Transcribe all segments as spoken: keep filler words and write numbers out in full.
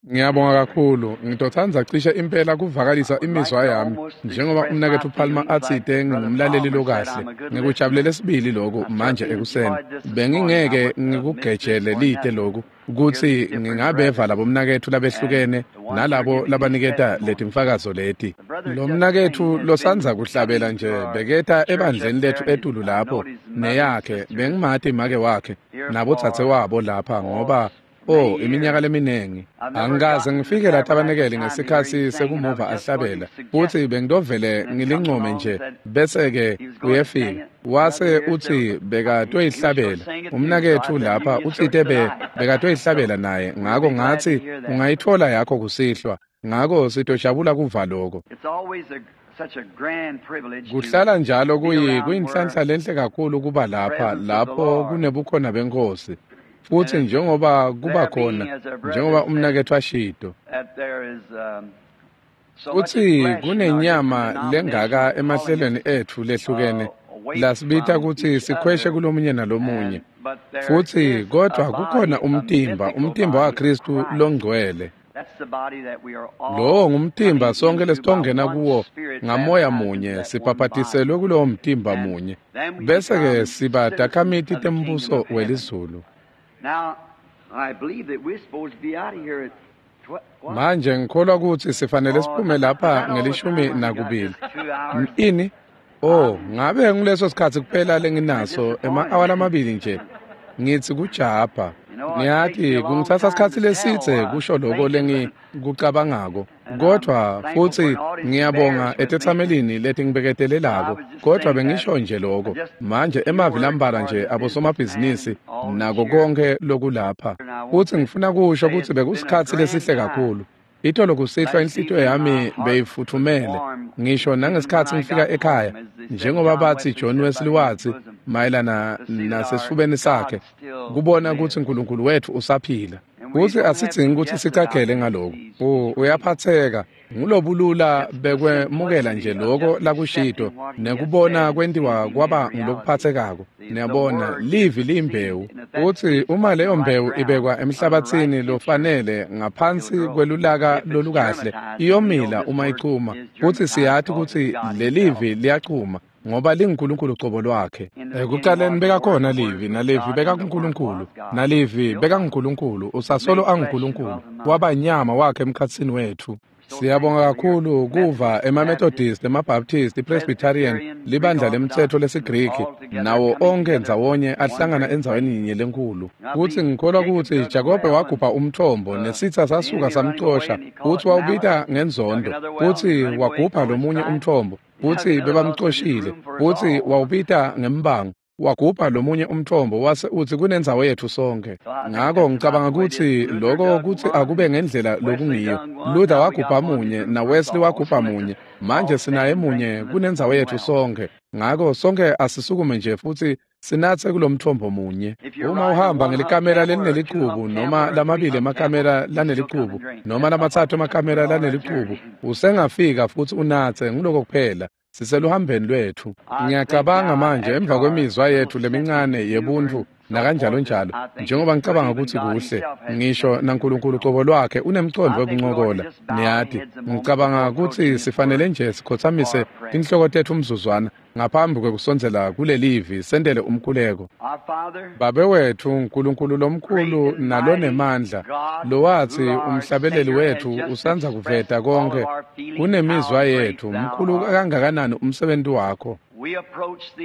Ngiyabonga kakhulu. Ngitotsandza cishe impela kuvakalisa imizwa yami njengoba umnaketfu Palmer atsite ngingumlaleli lokahle. Ngikujabulele sibili lokhu manje ekuseni. Bengingeke ngikugejele lite lokhu kutsi ngingabeva labo mnaketfu labehlukene nalabo labaniketa letimfakazo leti. Lo mnaketfu losandza kuhlabela nje beketa ebandleni lethu etulu lapho neyakhe bengimati make wakhe nabodzadze wabo lapha ngoba Oh, iminyaka leminingi. Angikaze ngifike la tabanekeli ngesikhatsi sekumuva ahlabela. Futhi bengitovele ngilincome nje bese-ke uyefika. Wase utsi bekatoyihlabela. Umnaketfu lapha utsite be bekatoyihlabela naye. Ngako ngatsi ungayitfola yakho kusihlwa. Ngako sitojabula kuva lokho. Kuhlala njalo kuyi kuyinhlanhla lenhle kakhulu kuba lapha lapho kunebukhona beNkhosi. Futhi njengoba kuba khona njengoba umnaketfu ashito kutsi kunenyama lengaka emahlelweni etfu lehlukene lasibita kutsi sikhweshe kulomunye nalomunye futhi kodwa kukhona umtimba umtimba waKristu longcwele. Lowo ngumtimba sonke lesitongena kuwo ngamoya munye sibhabhatiselwe kulowo mtimba munye bese-ke siba takhamiti tembuso welizulu. Now, I believe that we're supposed to be out of here at manje ngikholwa kutsi sifanele siphume lapha ngelishumi nakubili. Ini? Oh, ngabe nguleso sikhatsi kuphela lenginaso ema-awa lamabili nje. Ngitsi kujabha. Ngiyati kungitsatsa sikhatsi lesidze kusho lokho lengikucabangako. Kodwa futhi ngiyabonga etetsamelini letingibeketelelako. Kodwa bengisho nje lokho. Manje emavi lambalwa nje abosomabhizinisi nako konke lokulapha. Futhi ngifuna kusho kutsi bekusikhatsi lesihle kakhulu. Itolo kusihlwa inhlitiyo yami beyifuthumele ngisho nangesikhatsi ngifika ekhaya njengoba bathi John Wesley watsi mayelana nasesifubeni sakhe kubona kutsi uNkulunkulu wethu usaphila. Kutsi asidzingi kutsi sicagele ngaloko. Uyaphatheka ngulobulula bekwemukela nje lokho lakushito nekubona kwentiwa kwaba ngulokuphathekako. Niyabona livi liyimbewu utsi uma leyo mbewu ibekwa emhlabatsini lofanele ngaphansi kwelulaka lolukahle iyomila uma ichuma. Futsi siyati kutsi lelivi liyachuma ngoba linguNkulunkulu cobo lwakhe. Ekuqaleni bekakhona livi nalivi bekakuNkulunkulu nalivi bekanguNkulunkulu usasolo anguNkulunkulu waba nyama wakhe emkhatsini wethu. Siyabonga kakhulu kuva ema-Methodist, ema-Baptist, i-Presbyterian, libandla lemtsetfo lesiGriki nawo onke ndzawonye ahlangana endzaweni yinye lenkulu. Kutsi ngikholwa kutsi Jakobe wagubha umthombo nesitsa sasuka samcosha futsi wawubita ngenzondo futsi wagubha lomunye umthombo futsi bebamcoshile futsi wawubita ngembango. Wagubha lomunye umthombo wase utsi kunendzawo yetfu sonke. Ngako ngicabanga kutsi lokho kutsi akube ngendlela lokungiyo. Luther wagubha munye na Wesley wagubha munye. Manje sinaye munye kunendzawo yetfu sonke. Ngako sonke asisukume nje futsi sinatse kulomthombo munye. Uma uhamba ngelikamela lelinelicubu noma lamabili emakamela lanelicubu noma lamatsatfu emakamela lanelicubu usengafika futsi unatse nguloko kuphela. Siseluhambeni lwethu. Ngiyacabanga manje emva kwemizwa yethu lemincane yebuntu nakanjalo njalo njengoba ngicabanga kutsi kuhle ngisho naNkulunkulu cobo lwakhe unemcondvo wekuncokola. Niyati ngicabanga kutsi sifanele nje sikhotsamise tinhloko tetfu umzuzwana ngaphambi kwekusondzela kulelivi sentele umkhuleko. Babe wetfu Nkulunkulu lomkhulu nalonemandla lowatsi umhlabeleli wetfu usandza kuveta konke kunemizwa yetfu mkhulu kangakanani umsebenzi wakho.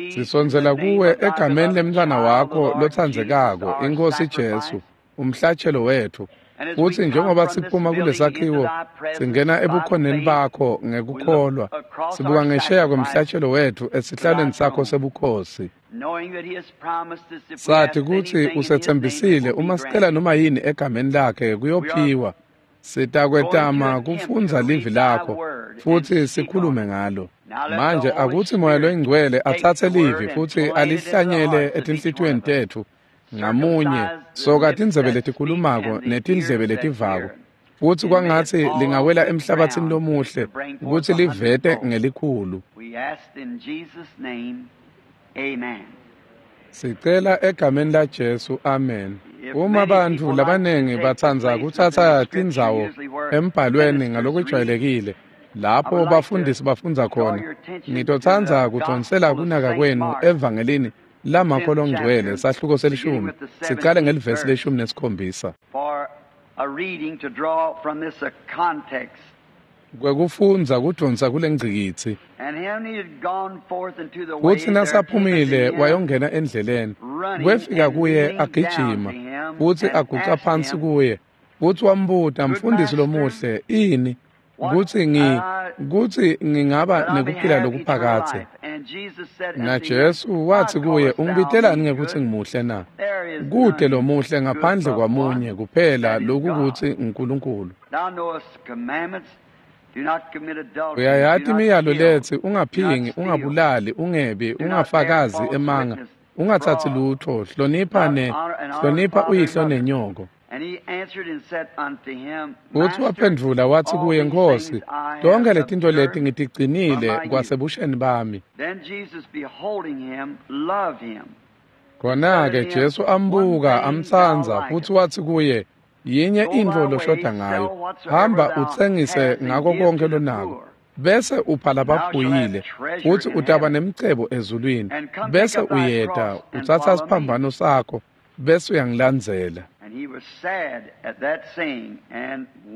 Sisondzela kuwe egameni lemntfwana wakho lotsandzekako iNkhosi Jesu umhlatshelo wetfu. Futsi njengoba siphuma kulesakhiwo singena ebukhoneni bakho ngekukholwa sibuka ngesheya kwemhlatshelo wetfu esihlalweni sakho sebukhosi. Sathi kutsi usetsembisile uma sicela noma yini egameni lakhe kuyophiwa. Sitakwetama kufundza livi lakho futsi sikhulume ngalo. Manje akutsi Moya loyiNgcwele atsatse livi futsi alihlanyele etinhlitiyweni tetfu ngamunye soka tindzebe letikhulumako netindlebe letivako futsi kwangatsi lingawela emhlabatsini lomuhle kutsi livete ngelikhulu. Sicela egameni laJesu, amen. Uma bantfu labanengi batsandza kutsatsa tindzawo embhalweni ngalokwejwayelekile lapho bafundisi bafundza khona, ngitotsandza kudvonsela kunaka kwenu evangelini laMakho Longcwele sahluko selishumi sicale ngelivesi leshumi nesikhombisa. Kwekufundza kudvonsa kulengcikitsi. Futsi nasaphumile wayongena endleleni, kwefika kuye agijima futsi aguca phansi kuye, futsi wambuta, "Mfundisi lomuhle, ini kutsi ngi kutsi ngingaba nekuphila lokuphakadze?" NaJesu wathi kuye, "Ungibitelani ngekutsi ngimuhle na? Kute lomuhle ngaphandle kwamunye kuphela, lokukutsi nguNkulunkulu. Uyayati imiyalo letsi ungaphingi, ungabulali, ungebi, ungafakazi emanga, ungatsatsi lutfo, hlonipha ne hlonipha uyihlo nenyoko." Futsi waphendvula wathi kuye, "Nkhosi, tonkhe letintfo leti ngitigcinile kwasebusheni bami." Khona-ke Jesu ambuka amtsandza, futsi wathi kuye, "Yinye intfo loshoda ngayo, hamba utsengise ngako konke lonako, bese upha labaphuyile, futsi utaba nemcebo ezulwini, bese uyeta utsatsa siphambano sakho, bese uyangilandzela."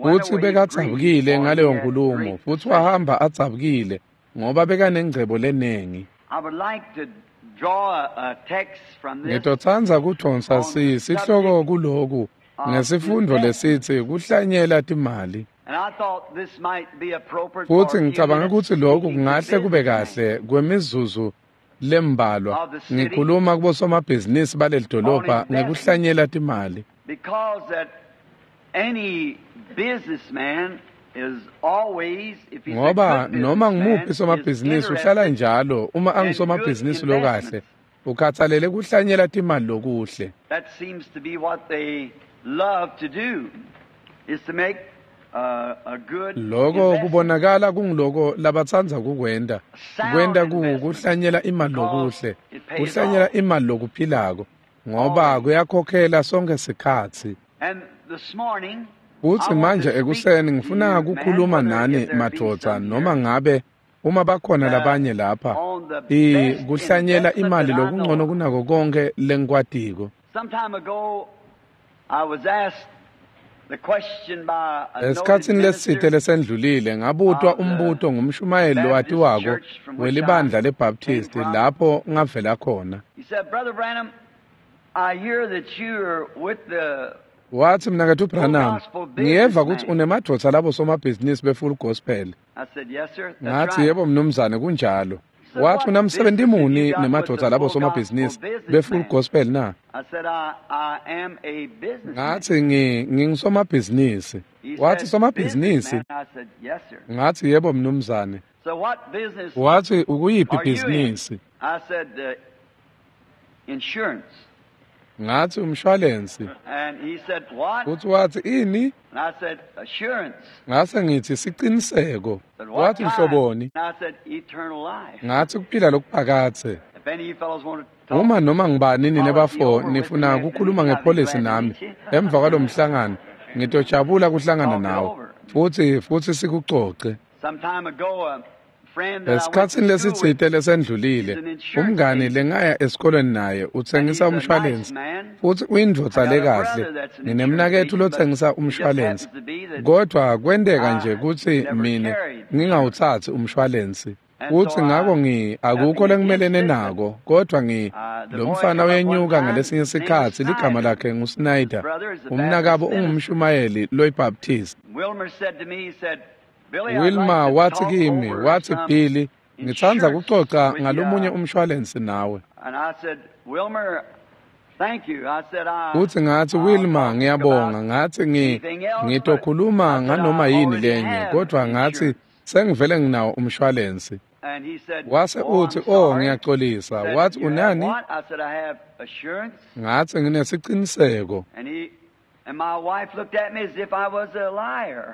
Futsi bekadzabukile ngaleyo nkulumo, futsi wahamba adzabukile ngoba bekanengcebo lenengi. Ngitotsandza kudvonsa si sihloko kuloku ngesifundo lesitsi kuhlanyela timali. Futsi ngicabanga kutsi lokhu kungahle kube kahle kwemizuzu lembalwa ngikhuluma kubosomabhizinisi baleli dolobha ngekuhlanyela timali. Ngoba noma ngumuphi somabhizinisi uhlala njalo uma angusomabhizinisi lokahle ukhathalele kuhlanyela timali lokuhle. Loko kubonakala kungiloko labatsandza kukwenta, kwenta kuhlanyela imali lokuhle, kuhlanyela imali lokuphilako, ngoba kuyakhokhela sonke sikhatsi. Futsi manje ekuseni ngifuna kukhuluma nani madvodza, noma ngabe uma bakhona labanye lapha, i kuhlanyela imali lokungcono kunako konke lengikwatiko. Esikhatsini lesitsite lesendlulile ngabutwa umbuto ngumshumayeli lowatiwako welibandla leBaptist lapho ngavela khona. Wathi, "Mnaketfu Branham, ngiyeva kutsi unemadvodza labo somabhizinisi be-Full Gospel." Ngathi, "Yebo mnumzane, kunjalo." Wathi, "Unamsebenti muni nemadvodza labo somabhizinisi be-Full Gospel na?" Ngathi, ngi ngingisomabhizinisi. Wathi, "Somabhizinisi?" Ngathi, "Yebo mnumzane." Wathi, "Ukuyiphi ibhizinisi?" Ngathi, "Umshwalensi." Futsi wathi, "Ini?" Ngase ngithi, "Siciniseko." Wathi, "Mhloboni?" Ngathi, "Kuphila lokuphakadze." Uma noma ngibani nine bafo nifuna kukhuluma ngepholisi nami emva kwalomhlangano, ngitojabula kuhlangana nawe futsi futsi sikucoce. Esikhatsini lesitsite lesendlulile, umngani lengaya esikolweni naye utsengisa umshwalensi, futsi uyindvodza lekahle. Nginemnaketfu lotsengisa umshwalensi, kodvwa kwenteka nje kutsi mine ngingawutsatsi umshwalensi. Futsi ngako ngi akukho lengimelene nako, kodvwa ngi lo mfana uyenyuka ngalesinye sikhatsi, ligama lakhe nguSnyder, umnakabo ungumshumayeli loyiBaptist. Wilma wathi kimi, wathi, "Billy, ngitsandza kucoca ngalomunye umshwalensi nawe." Futsi ngathi, "Wilma, ngiyabonga." Ngathi, ngi ngitokhuluma nganoma yini lenye, kodvwa ngathi sengivele nginawo umshwalensi. Wase uthi, "Oh, ngiyaxolisa." Wathi, "Unani?" Ngathi, "Nginesiciniseko."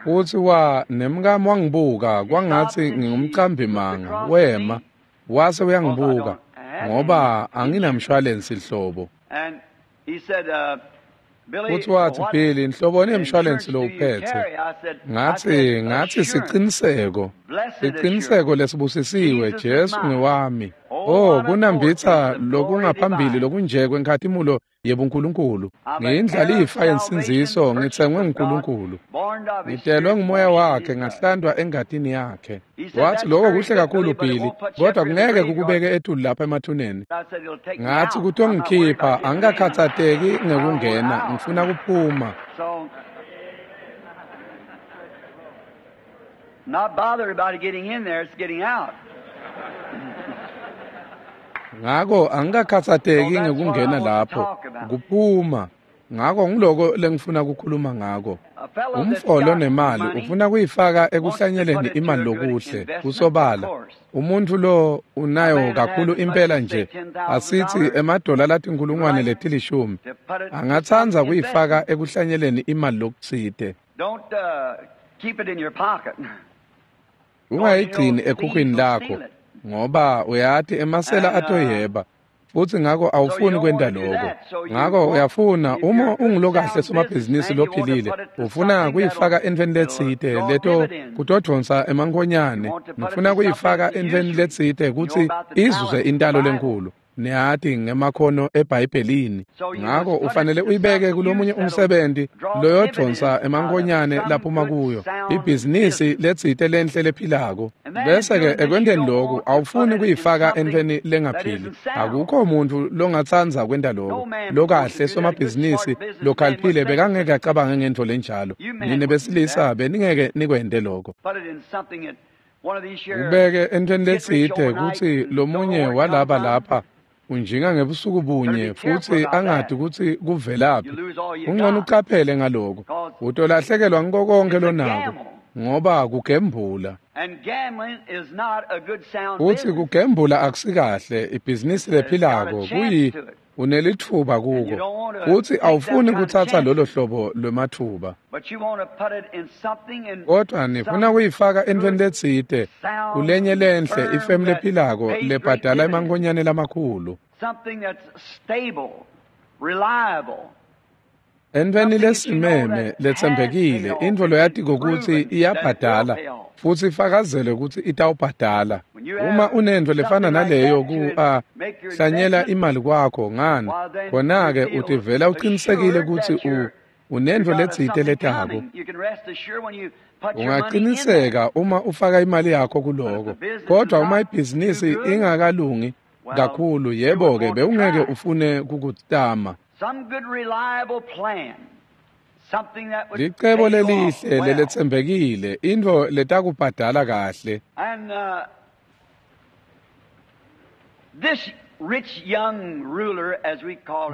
Futsi wa nemkami wangibuka kwangatsi ngingumcambimanga, wema wase uyangibuka ngoba anginamshwalensi hlobo. Futhi wathi, Billy, nhloboni yemshwalensi lowuphethe? Ngathi, ngathi siciniseko. Siciniseko lesibusisiwe, Jesu ngewami. Oh, kunambitha lokungaphambili lokunje kwenkhatimulo yebuNkulunkulu. Ngiyindlalifa yensindziso, ngitsengwe nguNkulunkulu. Ngitelwe ngumoya wakhe, ngahlandwa engatini yakhe. Wathi, lokho kuhle kakhulu Billy, kodwa kungeke kukubeke etulu lapha emathuneni. Ngathi, kutongikhipha, angikakhathateki ngekungena, ngifuna kuphuma. Not bothered about getting in there, it's getting out. Ngako angikakhathateki ngekungena lapho, kuphuma. Ngako ngiloko lengifuna kukhuluma ngako. Umfo lonemali ufuna kuyifaka ekuhlanyeleni imali lokuhle, kusobala. Umuntu lo unayo kakhulu impela nje, asithi emadola latinkhulungwane letilishumi, angatsandza kuyifaka ekuhlanyeleni imali lokutsite. Don't uh, keep it in your pocket. Ungayigcini ekhukhwini lakho, ngoba uyati emasela atoyeba. Futhi ngako awufuni kwenta lokho. Ngako uyafuna uma ungulokahle somabhizinisi lophilile, ufuna kuyifaka entweni letsite leto kutodvonsa emankhonyane, ufuna kuyifaka entweni letsite kutsi izuze intalo lenkulu. Niyati ngemakhono eBhayibhelini. Ngako ufanele uyibeke kulomunye umsebenzi loyodvonsa emankhonyane laphuma kuyo, ibhizinisi letsite lenhle lephilako. Bese-ke ekwenteni loku awufuni kuyifaka entweni lengaphili. Akukho muntu longatsandza kwenta loko. Lokahle somabhizinisi lokhaliphile bekangeke acabange ngentfo lenjalo. Nine besilisa beningeke nikwente loko. Ubeke entweni letsite kutsi lomunye walaba lapha unjinga ngebusuku bunye futsi angati kutsi kuvelaphi. Kungcono ucaphele ngaloko. Utolahlekelwa ngiko konke lonako, ngoba kugembula. Futsi kugembula akusikahle, ibhizinisi lephilako kuyi unelitfuba kuko. Futsi awufuni kutsatsa lolo hlobo lwematfuba. Kodwa nifuna kuyifaka entweni letsite, kulenye lenhle ifemu lephilako lebhadala emankhonyane lamakhulu. Entweni lesimeme letsembekile, intfo loyatiko kutsi iyabhadala futsi ifakazele kutsi itawubhadala. Uma unentfo lefana naleyo ku a hlanyela imali kwakho ngani, khona-ke utivela uqinisekile kutsi u unentfo letsite letako. Ungaqiniseka uma ufaka imali yakho kuloko. Kodwa uma ibhizinisi ingakalungi kakhulu, yebo-ke bewungeke ufune kukutama. Licebo lelihle leletsembekile, intfo letakubhadala kahle.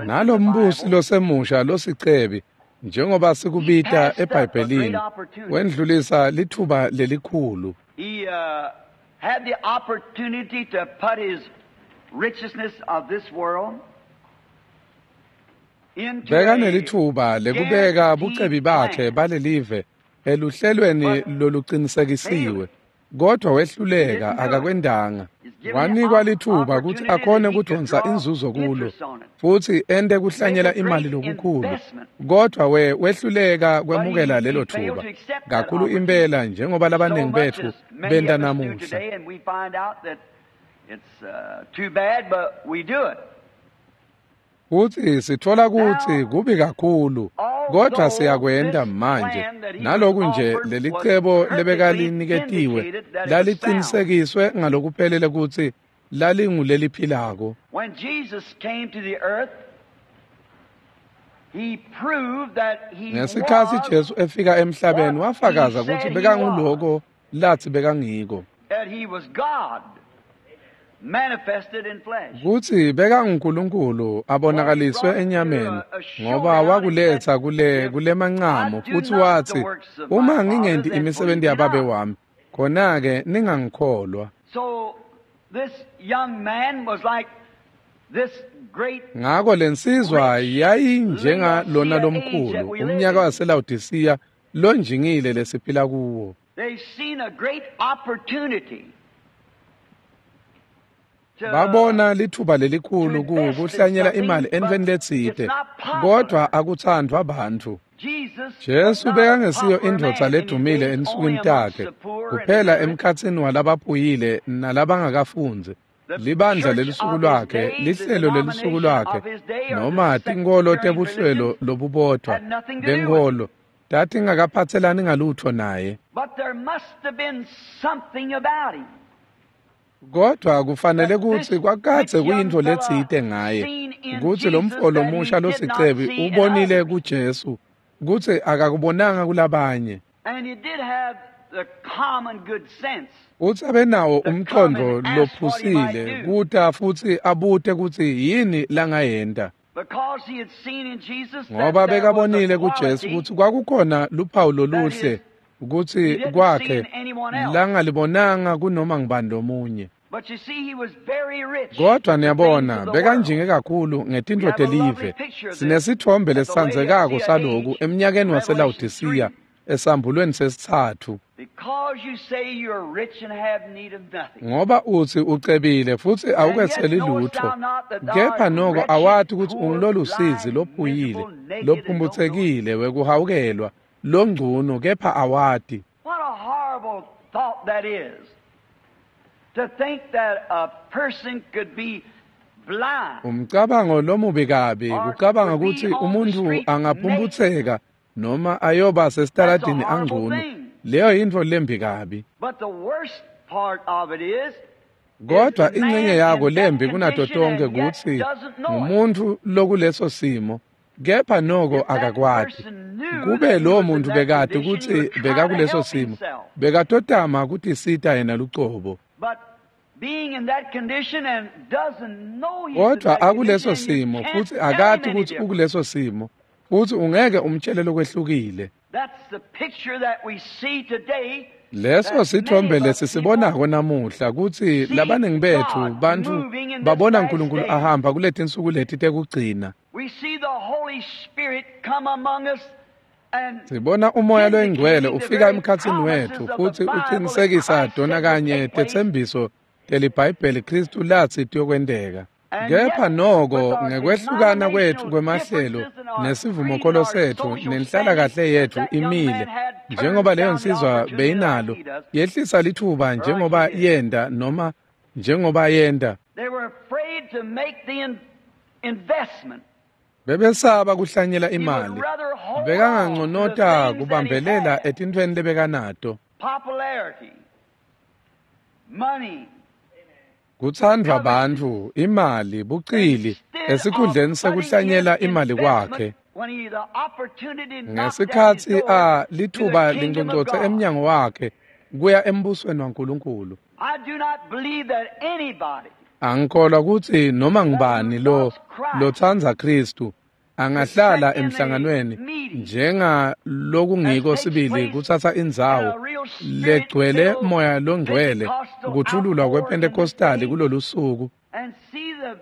Nalombusi losemusha losicebi, njengoba sikubita eBhayibhelini, wendlulisa litfuba lelikhulu. He uh, had the opportunity to put his richness of this world Bekanelitfuba lekubeka bucebi bakhe balelive eluhlelweni loluqinisekisiwe, kodwa wehluleka akakwendanga. Wanikwa litfuba kutsi akhone kudvonsa inzuzo kulo futsi ente kuhlanyela imali lokukhulu, kodwa we wehluleka kwemukela lelo thuba kakhulu impela, njengoba labaningi betfu benta namuhla. Futsi sitfola kutsi kubi kakhulu, kodwa siyakwenta manje. Naloku nje lelicebo lebekaliniketiwe lalicinisekiswe ngalokuphelele kutsi lalinguleliphilako. Ngesikhatsi Jesu efika emhlabeni, wafakaza kutsi bekanguloko latsi bekangiko, kutsi bekanguNkulunkulu abonakaliswe enyameni, ngoba wakuletsa kule kulemancamo futsi watsi, uma ngingenti imisebenti yababe wami, khona-ke ningangikholwa. Ngako lensizwa yayinjengalona lomkhulu, umnyaka waseLawodisiya lonjingile lesiphila kuwo. Babona lithuba lelikhulu kuhlanyela imali entfweni letsite, kodvwa akutsandvwa bantfu. Jesu bekangesiyo indvodza ledumile ensukwini takhe, kuphela emkhatsini walabaphuyile nalabangakafundzi. Libandla lelusuku lwakhe, lihlelo lelusuku lwakhe, noma tinkholo tebuhlelo lobubodvwa benkholo tatingakaphatselani ngalutfo naye. Kodvwa kufanele kutsi kwakadze kuyintfo letsite ngaye, kutsi lo mfo lomusha losicebi ubonile kuJesu kutsi akakubonanga kulabanye. Utsi abenawo umqondo lophusile kuta futsi abute kutsi yini langayenta. Ngoba bekabonile kuJesu kutsi kwakukhona luphawu loluhle kutsi kwakhe langalibonanga kunoma ngubani lomunye. Kodvwa niyabona bekanjinge kakhulu ngetintfo telive. Sinesitfombe lesitsandzekako saloku emnyakeni waseLawodisiya esambulweni sesitsatfu. Ngoba utsi ucebile futsi awuketseli lutfo, kepha noko awati kutsi ungulolusizi lophuyile, lophumputsekile wekuhawukelwa, longcunu kepha awati. What a horrible thought that is. To think that a person could be blind. Umcabango lomubi kabi kucabanga kutsi umuntfu angaphumputseka noma ayoba sesitaladini angcunu. Leyo yintfo lembi kabi. But the worst part of it is Kodvwa incenye yako lembi kunato tonkhe kutsi ngumuntfu lokuleso simo, kepha noko akakwati. Kube lowo muntu bekati kutsi bekakuleso simo, bekatotama kutisita yena lucobo. Kodvwa akuleso simo futsi akati kutsi ukuleso simo, futsi ungeke umtshele lokwehlukile. Leso sithombe lesisibonako namuhla kutsi labaningi betfu bantfu babona uNkulunkulu ahamba kuletinsuku leti tekugcina. Sibona umoya loyingcwele ufika emkhatsini wetfu futsi uqinisekisa dona kanye tetsembiso teliBhayibheli Kristu latsi tiyokwenteka. Kepha noko ngekwehlukana kwetfu kwemahlelo nesivumokholo setfu nenhlalakahle yetfu imile njengoba leyo nsizwa beyinalo, yehlisa lithuba njengoba yenta noma njengoba yenta. Bebesaba kuhlanyela imali, bekanganconota kubambelela etintfweni lebekanato. Kutsandvwa bantfu, imali, bucili, esikhundleni sekuhlanyela imali kwakhe. Ngesikhatsi a lithuba lingcongcotse emnyango wakhe kuya embusweni waNkulunkulu. Angikholwa kutsi noma ngubani lo lotsandza Kristu angahlala emhlanganweni njenga lokungiko sibili kutsatsa indzawo legcwele moya longcwele kuthululwa kwePentecostali kulolusuku,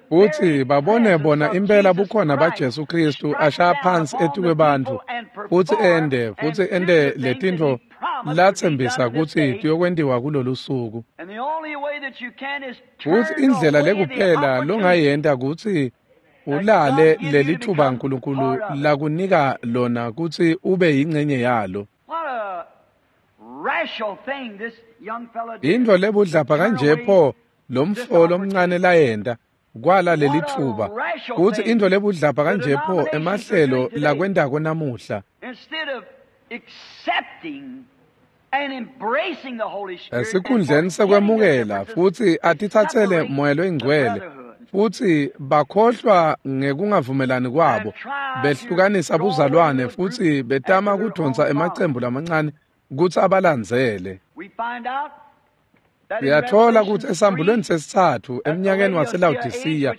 futsi babone bona impela bukhona baJesu Kristu ashaya phansi etikwebantfu futsi ende futsi ende letintfo latsembisa kutsi tiyokwentiwa kulolusuku. Futsi indlela lekuphela longayenta kutsi ulale lelithuba uNkulunkulu lakunika lona kutsi ube yingcenye yalo. Intfo lebudlapha kanje pho lomfo lomncane layenta kwala lelithuba, kutsi intfo lebudlapha kanje pho emahlelo lakwentako namuhla. Esikhundleni sekwemukela futsi atitsatsele moya loyingcwele, futsi bakhohlwa ngekungavumelani kwabo, behlukanisa buzalwane futsi betama kudonsa emacembu lamancane kutsi abalandzele. Siyatfola kutsi esambulweni sesitsatfu emnyakeni waseLawodisiya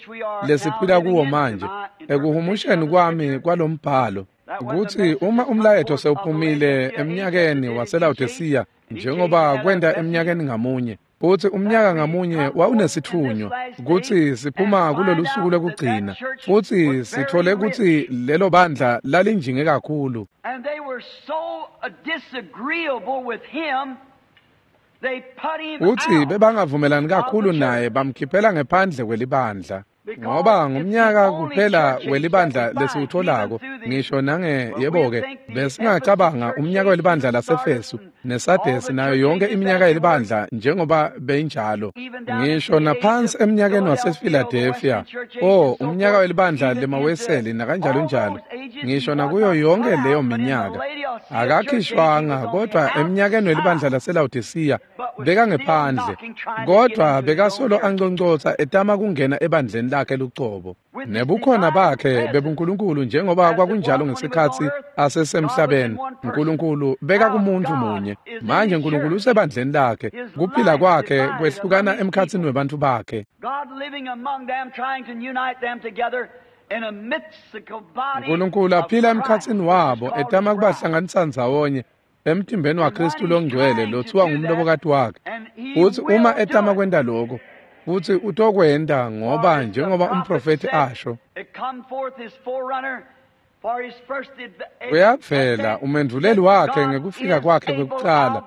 lesiphila kuwo manje, ekuhumusheni kwami kwalombhalo, kutsi uma umlayeto sewuphumile emnyakeni waseLawodisiya njengoba kwenta emnyakeni ngamunye, futsi umnyaka ngamunye wawunesitfunywa kutsi siphuma kulolu suku lwekugcina, futsi sitfole kutsi lelo bandla lalinjinge kakhulu. Utsi bebangavumelani kakhulu naye bamkhiphela ngephandle kwelibandla. Ngoba ngumnyaka kuphela welibandla lesiwutholako ngisho nange yebo-ke besingacabanga umnyaka welibandla laseFesu neSadesi nayo yonke iminyaka yelibandla njengoba beyinjalo ngisho naphansi eminyakeni waseFiladelfiya o umnyaka welibandla lemaweseli nakanjalo njalo ngisho nakuyo yonke leyo minyaka akakhishwanga kodwa eminyakeni welibandla laseLawodisiya bekangephandle kodwa bekasolo anconcotsa etama kungena ebandleni lakhe lucobo nebukhona bakhe bebuNkulunkulu njengoba kwakunjalo ngesikhatsi asesemhlabeni. uNkulunkulu beka kumuntu munye. Manje uNkulunkulu usebandleni lakhe, kuphila kwakhe kwehlukana emkhatsini webantfu bakhe. uNkulunkulu aphila emkhatsini wabo etama kubahlanganisa ndzawonye emtimbeni waKristu longcwele lothiwa ngumlobokati wakhe. Futsi uma etama kwenta lokho, futsi utokwenta ngoba njengoba umprofethi asho, uyavela umendvuleli wakhe ngekufika kwakhe kwekucala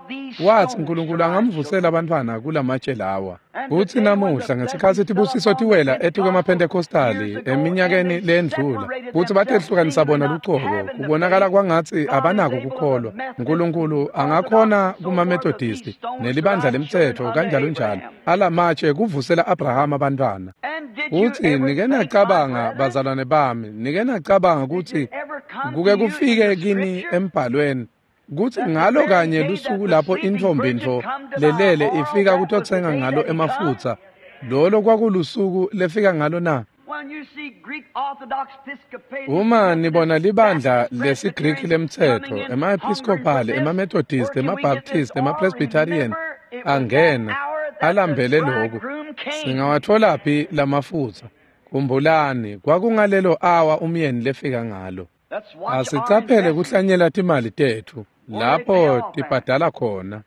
wathi uNkulunkulu angamvusela abantwana kulamatshe lawa. Futsi namuhla ngesikhatsi tibusiso tiwela etikwemaPhentekhostali eminyakeni lendlula futsi batehlukanisa bona lucobo kubonakala kwangatsi abanako kukholwa. uNkulunkulu angakhona kumaMethodisti nelibandla lemtsetfo kanjalo njalo alamatshe kuvusela Abrahama abantwana. Futsi nike nacabanga bazalwane bami, nike nacabanga kutsi kuke kufike kini embhalweni kutsi ngalo kanye lusuku lapho intfombi-ntfo lelele ifika kutotsenga ngalo emafutsa, lolo kwakulusuku lefika ngalo na? Uma nibona libandla lesiGriki lemtsetfo, ema-Episcopal, ema-Methodist, ema-Baptist, ema-Presbyterian angena alambele loku, singawatholaphi lamafutsa? Khumbulani, kwakungalelo awa umyeni lefika ngalo. Asicaphele kuhlanyela timali tetfu lapho tibhadala khona.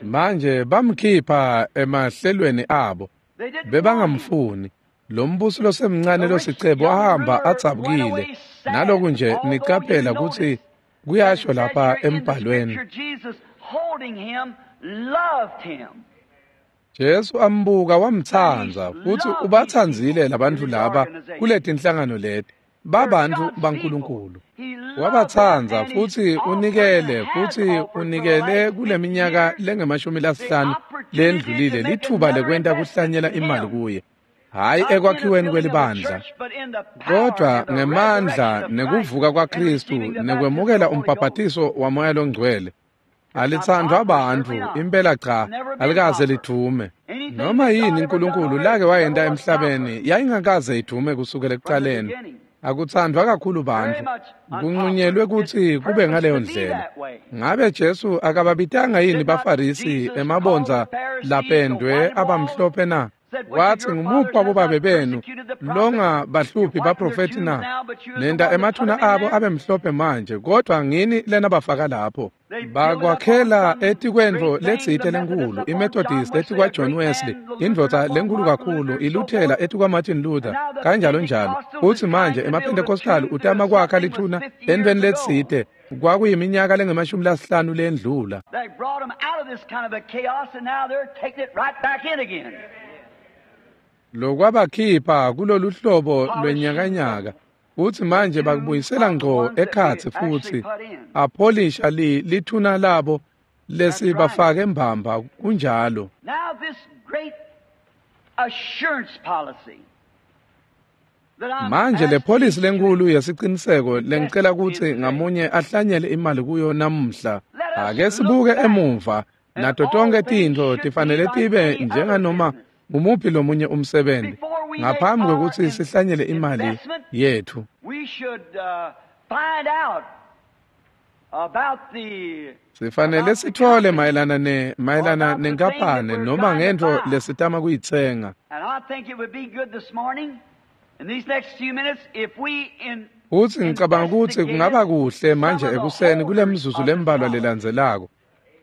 Manje bamkhipha emahlelweni abo, bebangamfuni. Lo mbusi losemncane losicebo wahamba adzabukile. Naloku nje nicaphela kutsi kuyasho lapha embhalweni, Jesu ambuka wamtsandza futsi ubatsandzile labantfu laba kuletinhlangano leti babantu baNkulunkulu. Wabatsandza futsi unikele futsi unikele kuleminyaka lengemashumi lasihlanu lendlulile litfuba lekwenta kuhlanyela imali kuye, hhayi ekwakhiweni kwelibandla, kodwa ngemandla nekuvuka kwaKristu nekwemukela umbhabhatiso waMoya loNgcwele. Alitsandvwa bantfu impela cha, alikaze lidvume. Noma yini uNkulunkulu lake wayenta emhlabeni yayingakaze idvume kusukela ekuqaleni. Akutsandvwa kakhulu bantfu, kunqunyelwe kutsi kube ngaleyo ndlela. Ngabe Jesu akababitanga yini baFarisi emabondza lapendwe abamhlophe na? Wathi ngumuphi wabobabe benu longabahluphi baprofethi na? Nenda emathuna abo abe mhlophe manje, kodwa ngini lena bafaka lapho. Bakwakhela etikwentfo letsite lenkulu, iMethodist etikwa John Wesley, indvodza lenkulu kakhulu, iLuthela etikwa Martin Luther, kanjalo njalo. Futsi manje emaPentecostal utama kwakha lithuna entfweni letsite kwakuyiminyaka lengemashumi lasihlanu lendlula. Lokwabakhipha kulolu hlobo lwenyakanyaka futsi manje bakubuyisela ngco ekhatsi futsi apholisha li lithuna labo lesibafake mbamba kunjalo. Manje le polisi lenkulu yesiciniseko lengicela kutsi ngamunye ahlanyele imali kuyo namuhla. Ake sibuke emuva nato tonke tintfo tifanele tibe njenganoma ngumuphi lomunye umsebenzi ngaphambi kwekutsi sihlanyele imali yethu. Sifanele sitfole mayelana ne mayelana nenkampane noma ngentfo lesitama kuyitsenga. Futsi ngicabanga kutsi kungaba kuhle manje ekuseni kule mizuzu lembalwa lelandzelako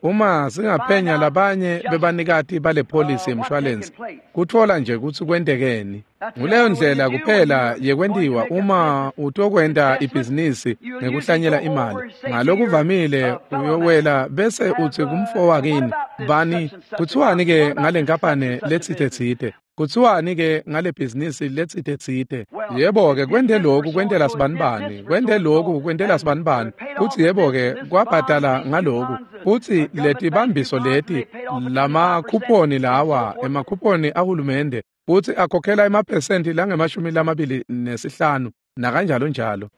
Uma singaphenya labanye bebanikati bale polisi yemshwalensi, kutfola nje kutsi kwentekeni. Nguleyo ndlela kuphela yekwentiwa uma utokwenta ibhizinisi ngekuhlanyela imali. Ngalokuvamile uyowela bese utsi kumfo wakini, bani, kuthiwani ke ngale nkampane letsite-tsite? Kuthiwani ke ngale bhizinisi letsite-tsite? Yebo ke kwente lokhu kwentela sibanibani, kwente lokhu kwentela sibanibani. Futsi yebo ke kwabhadala ngaloku. Futsi letibambiso leti lamakhuponi lawa, emakhuponi ahulumende, futsi akhokhela emaphesenti langemashumi lamabili nesihlanu nakanjalo njalo.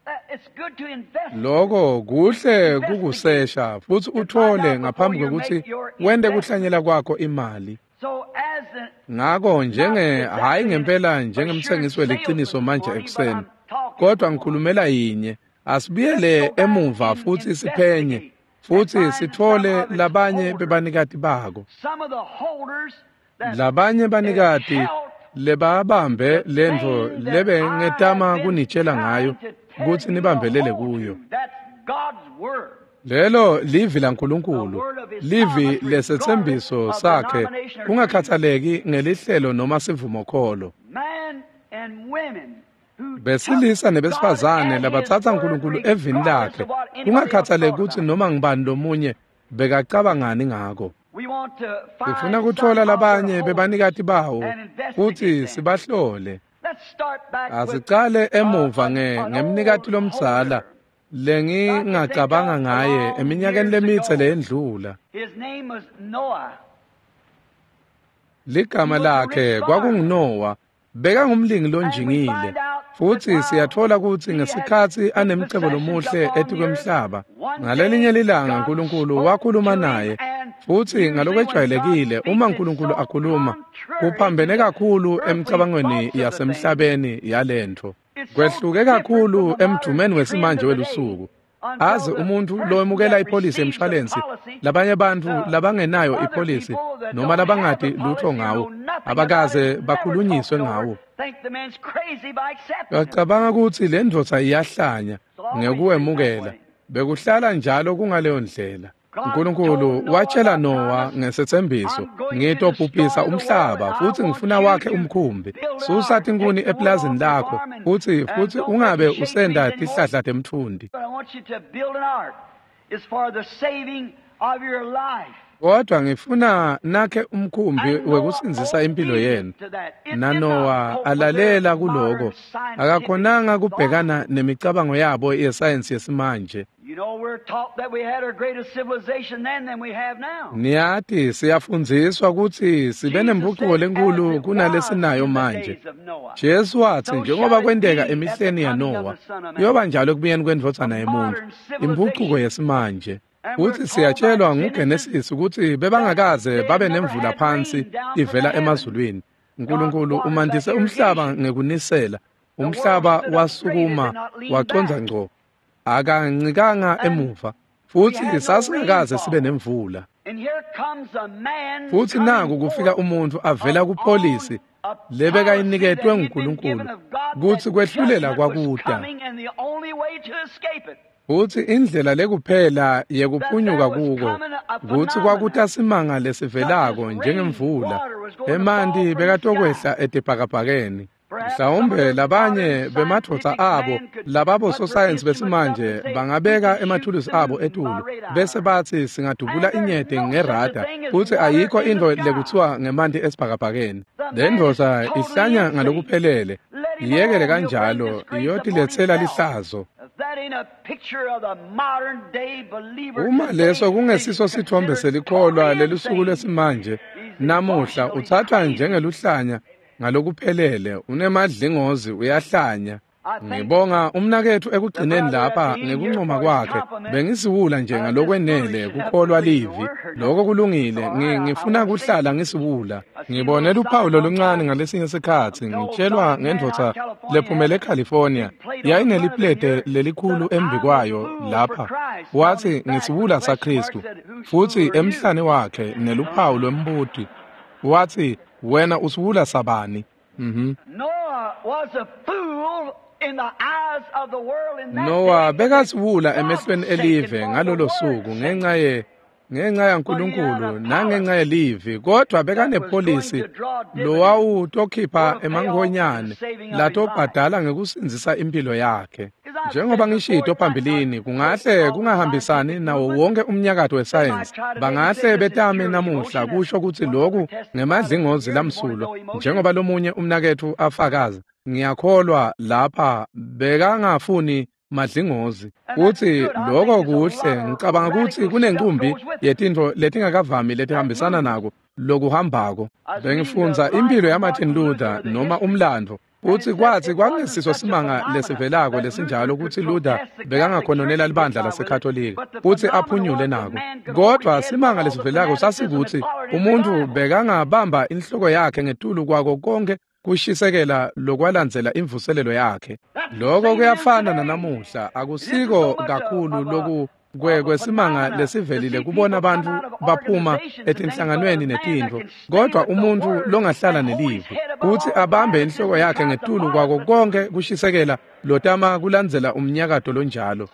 Loko kuhle kukusesha futsi utfole ngaphambi kwekutsi wente kuhlanyela kwakho imali. Ngako njenge hayi ngempela njengemtsengisi weliciniso manje ekuseni, kodwa ngikhulumela yinye. Asibuyele emuva futsi siphenye futsi sitfole labanye bebanikati bako. Labanye banikati lebabambe lentfo lebengetama kunitshela ngayo kutsi nibambelele kuyo. Lelo livi laNkulunkulu, livi lesetsembiso sakhe, kungakhathaleki ngelihlelo noma sivumokholo. Besilisa nebesifazane labatsatsa uNkulunkulu evini lakhe, kungakhathaleki kutsi noma ngubani lomunye bekacabangani ngako. Sifuna kutfola labanye bebanikati bawo futsi sibahlole. Asicale emuva ngemnikati lomdzala lengingacabanga ngaye eminyakeni lemitse leyendlula. Ligama lakhe kwakunguNowa, bekangumlingi lonjingile. Futsi siyatfola kutsi ngesikhatsi anemcebo lomuhle etikwemhlaba, ngalelinye lilanga uNkulunkulu wakhuluma naye. Futsi ngalokwejwayelekile uma uNkulunkulu akhuluma, kuphambene kakhulu emicabangweni yasemhlabeni yalentfo. Kwehluke kakhulu emdumeni wesimanje welusuku. Aze umuntfu lowemukela ipolisi yemshwalensi, labanye bantfu labangenayo ipolisi noma labangati lutho ngawo, abakaze bakhulunyiswe ngawo. Bacabanga kutsi le ndvodza iyahlanya ngekuwemukela. Bekuhlala njalo kungaleyo ndlela. uNkulunkulu watshela Nowa ngesetsembiso, ngitobhubhisa umhlaba futsi ngifuna wakhe umkhumbi. Susa tinkhuni eplazini lakho futsi futsi ungabe usenda tihlahla temtfundi. Kodwa ngifuna nakhe umkhumbi wekusindzisa impilo yenu. NaNowa alalela kuloko, akakhonanga kubhekana nemicabango yabo yesayensi yesimanje. Niyati siyafundziswa kutsi sibe nempucuko lenkulu kunalesinayo manje. Jesu watsi njengoba kwenteka emihleni yaNowa, kuyoba njalo ekubuyeni kwendvodzana yemuntfu, impucuko yesimanje. Futsi siyatshelwa nguGenesis kutsi bebangakaze babe nemvula phansi ivela emazulwini. uNkulunkulu umandise umhlaba ngekunisela. Umhlaba wasukuma wacondza ngco, akancikanga emuva. Futsi sasingakaze sibe nemvula. Futsi naku kufika umuntfu avela kupolisi lebekayiniketwe nguNkulunkulu kutsi kwehlulela kwakuta. Futsi indlela lekuphela yekuphunyuka kuko kutsi kwakuta simanga lesivelako njengemvula, emanti bekatokwehla etibhakabhakeni. Mhlawumbe labanye bemadvodza abo lababo sosayensi besimanje bangabeka emathulusi abo etulu bese batsi singadubula inyete ngerada, futsi ayikho intfo lekuthiwa ngemanti esibhakabhakeni. Le ndvodza ihlanya ngalokuphelele, iyekele kanjalo iyotiletsela lihlazo. Uma leso kungesiso sithombe selikholwa lelusuku lwesimanje namuhla, uthathwa njengeluhlanya ngalokuphelele, unemadlingozi, uyahlanya. Ngibonga umnaketfu ekugcineni lapha ngekuncoma kwakhe. Bengisiwula nje ngalokwenele kukholwa livi. Lokho kulungile, ngifuna kuhlala ngisiwula. Ngibone luphawu loluncane ngalesinye sikhatsi ngitshelwa ngendvodza lephumele eCalifornia, yayineliplete lelikhulu embi kwayo lapha. Wathi ngisiwula saKhristu, futsi emhlane wakhe neluphawu lwembuti. Wathi wena usiwula sabani? Mhm. Noah bekasiwula emehlweni elive ngalolo suku ngenxa ye Ngenxa yaNkulunkulu nangenxa yelivi, kodwa bekanepholisi lowawutokhipha emankhonyane latobhadala ngekusindzisa impilo yakhe. Njengoba ngishito phambilini, kungahle kungahambisani nawo wonke umnyakato wesayensi. Bangahle betame namuhla kusho kutsi lokhu ngemadlingozi lamsulwa, njengoba lomunye umnaketfu afakaza. Ngiyakholwa lapha bekangafuni madlingozi. Utsi lokho kuhle, ngicabanga kutsi kunenkumbi yetintfo letingakavami letihambisana nako lokuhambako. Bengifundza impilo yaMartin Luther noma umlandvo. Utsi kwatsi kwangesiso simanga lesivelako lesinjalo kutsi Luther bekangakhononela libandla laseKatolika kutsi aphunyule nako. Kodwa simanga lesivelako sasikutsi umuntfu bekangabamba inhloko yakhe ngetulu kwako konke kushisekela lokwalandzela imvuselelo yakhe. Lokho kuyafana nanamuhla, akusiko kakhulu loku kwesimanga lesivelile kubona abantu baphuma etinhlanganweni netintfo, kodwa umuntfu longahlala nelivi kutsi abambe inhloko yakhe ngetulu kwako konke kushisekela lotama kulandzela umnyakato lonjalo,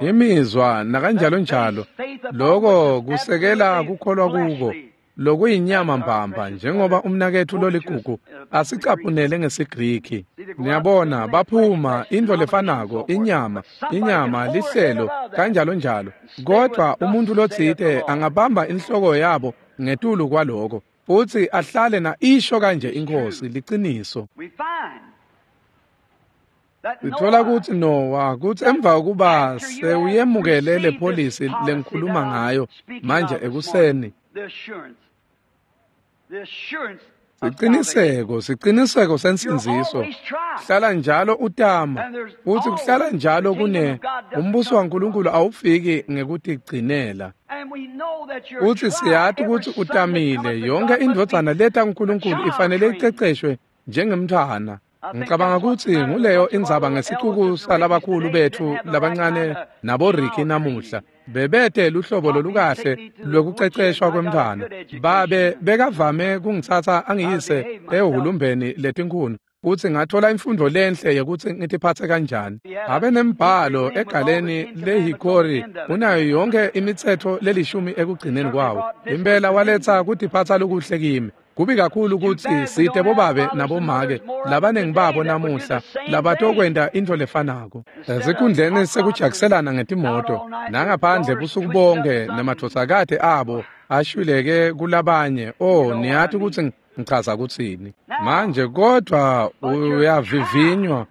imizwa nakanjalo njalo. Lokho kusekela kukholwa kuko lokuyinyama mbamba, njengoba umnaketfu loligugu asicaphunele ngesiGriki. Niyabona, baphuma intfo lefanako, inyama, inyama, lihlelo, kanjalo njalo. Kodwa umuntfu lotsite angabamba inhloko yabo ngetulu kwaloko futsi ahlale na isho kanje iNkhosi, liciniso. Sitfola kutsi Noah, kutsi emva kokuba sewuyemukele le pholisi lengikhuluma ngayo manje ekuseni, siciniseko, siciniseko sensindziso. Hlala njalo utama, futsi kuhlala njalo kune umbuso waNkulunkulu awufiki ngekutigcinela. Utsi siyati kutsi utamile, yonke indvodzana leta kuNkulunkulu ifanele iceceshwe njengemntfwana. Ngicabanga kutsi nguleyo indzaba ngesicuku salabakhulu betfu labancane naboRicky namuhla. Bebete luhlobo lolukahle lwekuceceshwa kwemntfwana. Babe bekavame kungitsatsa angiyise ehhulumbeni letinkhuni kutsi ngathola imfundvo lenhle yekutsi ngitiphatse kanjani. Abe nembhalo egaleni lehikori unayo yonke imitsetfo lelishumi ekugcineni kwawo. Impela waletsa kutiphatsa lokuhle kimi. Kubi kakhulu kutsi site bobabe nabomake labaningi babo namuhla labatokwenta intfo lefanako. Esikhundleni sekujakiselana ngetimoto nangaphandle busuku bonke nemadvodzakati abo ashwileke kulabanye. Oh, niyati kutsi ngichaza kutsini manje. Kodwa uyavivinywa,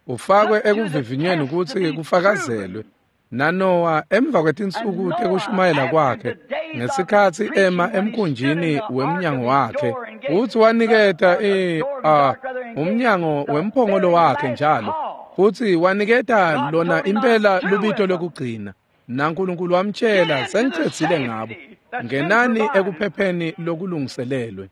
ufakwe ekuvivinyweni kutsi kufakazelwe. NaNoah emva kwetinsuku tekushumayela kwakhe, ngesikhatsi ema emkhunjini wemnyango wakhe, futsi waniketa i uh, umnyango wemphongolo wakhe njalo, futsi waniketa lona impela lubito lokugcina. NaNkulunkulu wamtshela, sengicedzile ngabo, ngenani ekuphepheni lokulungiselelwe.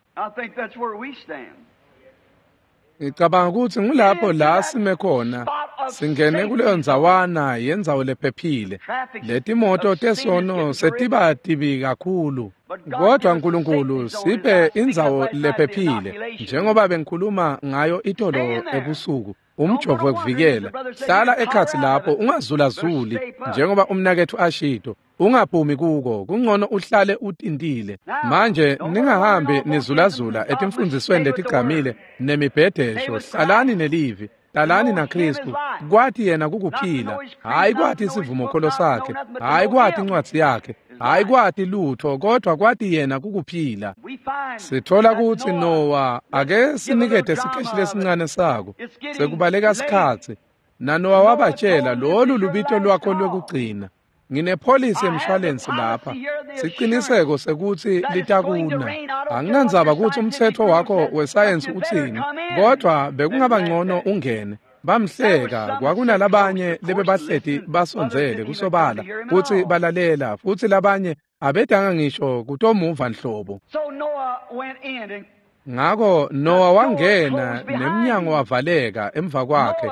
Ngicabanga kutsi ngulapho la sime khona, singene kuleyo ndzawana yendzawo lephephile. Letimoto tesono setiba tibi kakhulu, kodwa Nkulunkulu siphe indzawo lephephile, njengoba bengikhuluma ngayo itolo ebusuku. Umjovo wekuvikela, hlala ekhatsi lapho, ungazulazuli, njengoba umnaketfu ashito, ungaphumi kuko, kungcono uhlale utintile. Manje ningahambi nizulazula etimfundzisweni letigqamile nemibhedesho. Hlalani nelivi, hlalani naKristu. Kwati yena kukuphila, hhayi kwati isivumokholo sakhe, hhayi kwati incwadzi yakhe, hhayi kwati lutho, kodwa kwati yena kukuphila. Sitfola kutsi Noah, ake sinikete sikeshi lesincane sako, sekubaleka sikhatsi. NaNoah wabatshela, lolu lubito lwakho lwekugcina. Nginepholisi yemshwalensi lapha, siciniseko sekutsi litakuna. Anginandzaba kutsi umtsetfo wakho wesayensi utsini, kodwa bekungaba ngcono ungene. Bamhleka, kwakunalabanye lebebahleti basondzele kusobala kutsi balalela, futsi labanye abedanga ngisho kutomuva nhlobo. Ngako Noah wangena nemnyango wavaleka emva kwakhe.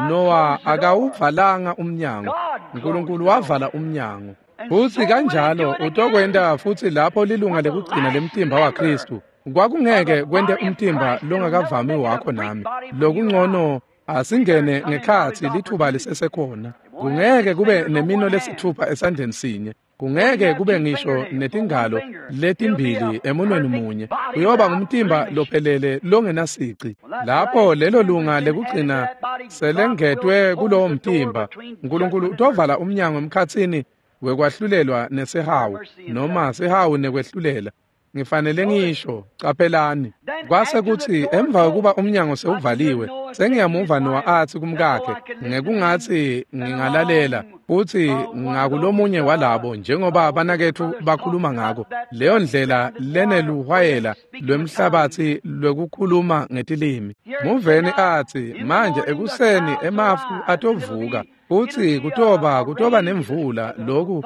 Noah akawuvalanga umnyango, Nkulunkulu wavala umnyango. Futsi kanjalo utokwenta futsi lapho lilunga lekugcina lemtimba waKristu. Kwakungeke kwente umtimba longakavami wakho nami. Lokungcono asingene ngekhatsi lithuba lisesekhona. Kungeke kube nemino lesithupha esandleni sinye. Kungeke kube ngisho netingalo letimbili emunweni munye. Kuyoba ngumtimba lophelele longenasici. Lapho lelo lunga lekugcina selengetwe kulowo mtimba, Nkulunkulu utovala umnyango emkhatsini wekwahlulelwa nesihawu, noma sihawu nekwehlulela. Ngifanele ngisho, caphelani. Kwase kutsi emva kokuba umnyango sewuvaliwe, sengiyamuva Noah atsi kumkakhe, ngekungatsi ngingalalela, futsi ngakulomunye walabo njengoba banaketfu bakhuluma ngako, leyo ndlela leneluhwayela lwemhlabatsi lwekukhuluma ngetilimi. Muveni atsi, manje ekuseni emafu atovuka, futsi kutoba kutoba nemvula, loku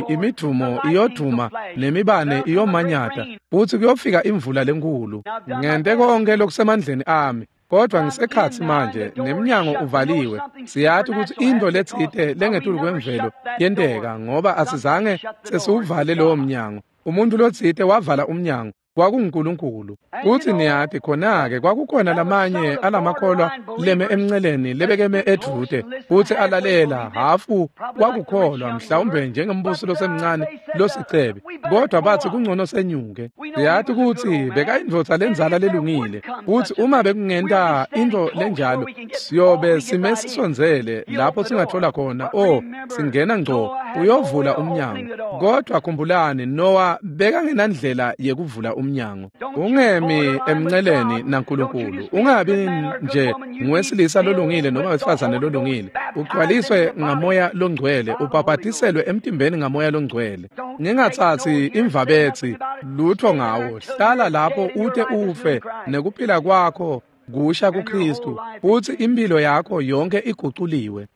imidvumo iyodvuma nemibane iyomanyata, futsi kuyofika imvula lenkulu. Ngente konke lokusemandleni ami, kodvwa ngisekhatsi manje nemnyango uvaliwe. Siyati kutsi intfo letsite lengetulu kwemvelo yenteka, ngoba asizange sesiwuvale lowo mnyango. Umuntu lotsite wavala umnyango, kwakunguNkulunkulu. Futsi niyati khona-ke kwakukhona lamanye alamakholwa leme emnceleni lebekeme edvute futsi alalela hafu kwakukholwa, mhlawumbe njengembusi losemncane losicebi, kodwa batsi kungcono senyuke. Siyati kutsi bekayindvodza lendzala lelungile, futsi uma bekungenta intfo lenjalo siyobe sime sisondzele lapho singathola khona, o singena ngco uyovula umnyango. Kodwa khumbulani, Noah bekangenandlela yekuvula umnyango. Ungemi emnceleni naNkulunkulu. Ungabi nje nguwesilisa lolungile noma wesifazane lolungile. Ugcwaliswe ngamoya longcwele, ubhabhatiselwe emtimbeni ngamoya longcwele. Ningatsatsi imvabetsi lutho ngawo. Hlala lapho ute ufe nekuphila kwakho kusha kuKristu, futsi impilo yakho yonke iguculiwe.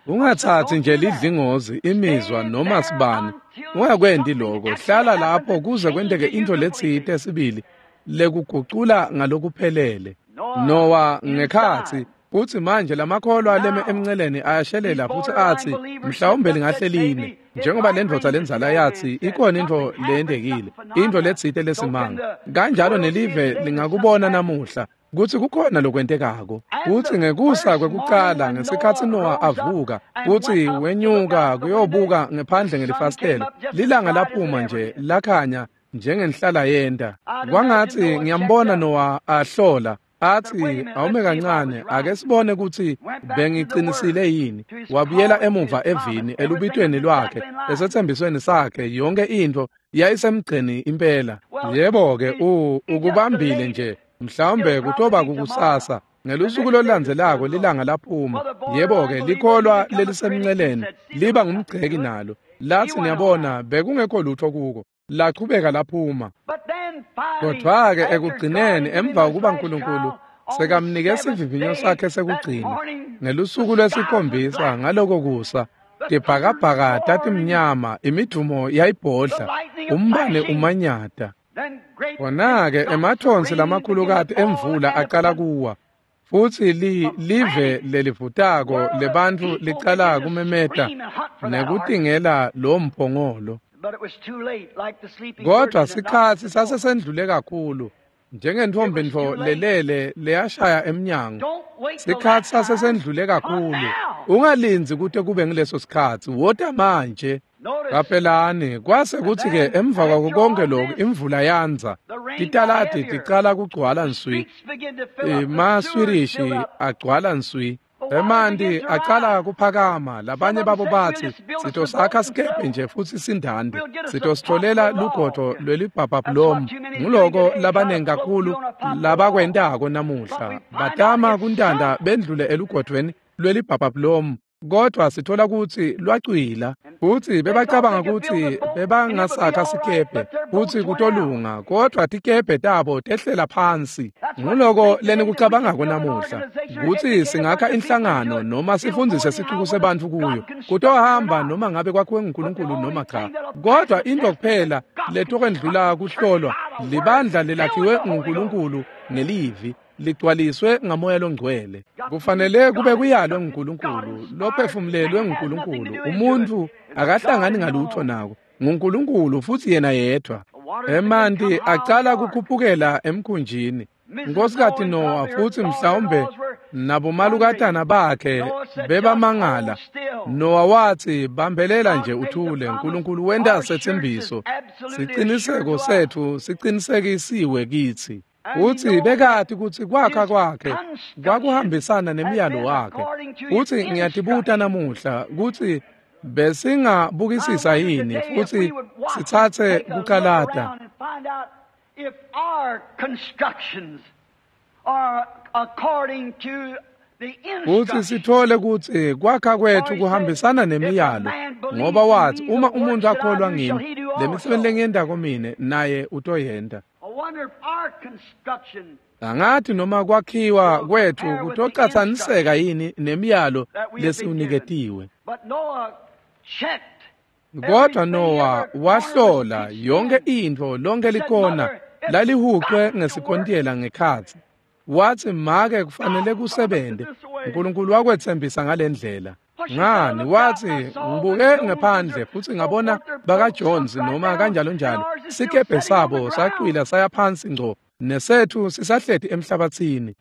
Ungatsatsi nje lidlingozi, imizwa noma sibani. Ungakwenti lokho. Hlala lapho kuze kwenteke intfo letsite sibili lekugucula ngalokuphelele. Noah ngekhatsi, futsi manje lamakholwa leme emnceleni ayashelela futsi atsi, mhlawumbe lingahle line, njengoba lendvodza lendzala yatsi ikhona intfo leyentekile, intfo letsite lesimanga. Kanjalo nelive lingakubona namuhla kutsi kukhona lokwentekako. Kutsi ngekusa kwekucala ngesikhatsi Noah avuka futsi wenyuka kuyobuka ngephandle ngelifasitelo, lilanga laphuma nje lakhanya njengenhlala yenta. Kwangatsi ngiyambona Noah ahlola atsi, awume kancane, ake sibone kutsi bengicinisile yini. Wabuyela emuva evini, elubitweni lwakhe, esetsembisweni sakhe, yonke intfo yayisemgceni impela. Yebo-ke, ukubambile nje, mhlawumbe kutoba kukusasa. Ngelusuku lolulandzelako lilanga laphuma. Yebo-ke, likholwa lelisemnceleni liba ngumgceki nalo. Latsi niyabona, bekungekho lutho kuko. Lachubeka laphuma. Kodwa-ke ekugcineni, emva kokuba Nkulunkulu sekamnike sivivinyo sakhe sekugcina, ngelusuku lwesikhombisa ngaloko kusa, tibhakabhaka tatimnyama, imidvumo yayibhodla, umbane umanyata. Khona-ke emathonsi lamakhulukati emvula aqala kuwa, futsi li live lelivutako lebantfu licala kumemeta nekutingela lo mphongolo. Kodwa sikhatsi sasesendlule kakhulu, njengentfombi ntfo lelele leyashaya emnyango. Sikhatsi sasesendlule kakhulu. Ungalindzi kute kube ngileso sikhatsi, wota manje. Qaphelani, kwase kutsi-ke emva kwako konke lokhu imvula yandza, titaladi ticala kugcwala nswi, emaswirishi agcwala nswi. Emanti aqala kuphakama. Labanye babo batsi, sitosakha sikebhe nje futsi sindande, sitositfolela lugodvo lwelibhabhabhulomu. Nguloko labanengi kakhulu labakwentako namuhla, batama kuntanda bendlule elugodvweni lwelibhabhabhulomu, kodwa sithola kutsi lwacwila. Futsi bebacabanga kutsi bebangasakha sikebhe futsi kutolunga, kodwa tikebhe tabo tehlela phansi. Nguloko lenikucabangako namuhla, kutsi singakha inhlangano noma sifundzise sicuku sebantfu kuyo, kutohamba noma ngabe kwakhiwe nguNkulunkulu noma cha. Kodwa intfo kuphela letokwendlula kuhlolwa libandla lelakhiwe nguNkulunkulu ngelivi, ligcwaliswe ngamoya longcwele. Kufanele kube kuyalwe nguNkulunkulu, lophefumulelwe nguNkulunkulu. Umuntu akahlangani ngalutho nako, nguNkulunkulu futsi yena yedvwa. Emanti aqala kukhuphukela emkhunjini. Nkosikazi Noah futsi mhlawumbe Nabomalukatana bakhe bebamangala. Noah wathi, bambelela nje uthule, uNkulunkulu wenta setsembiso. Siciniseko sethu sicinisekisiwe kithi. Uthi bekati kutsi kwakha kwakhe kwakuhambisana nemiyalo wakhe. Uthi ngiyatibuta namuhla kutsi besingabukisisa yini futhi sitsatse kucalata kutsi sithole kutsi kwakha kwethu kuhambisana nemiyalo, ngoba wathi uma umuntu akholwa ngimi, le misebenti lengiyentako mine naye utoyenta. Angathi noma kwakhiwa kwethu kutocatsaniseka yini nemiyalo lesiwuniketiwe. Kodwa Noah wahlola yonke intfo, lonke likona lalihuqwe ngesikontiyela ngekhatsi. Wathi make kufanele kusebente. uNkulunkulu wakwetsembisa ngalendlela. Ngani wathi ngibuke ngaphandle futhi ngabona baka Jones noma kanjalo njalo sikebhe sabo sacwila saya phansi ngco nesethu sisahleti emhlabathini.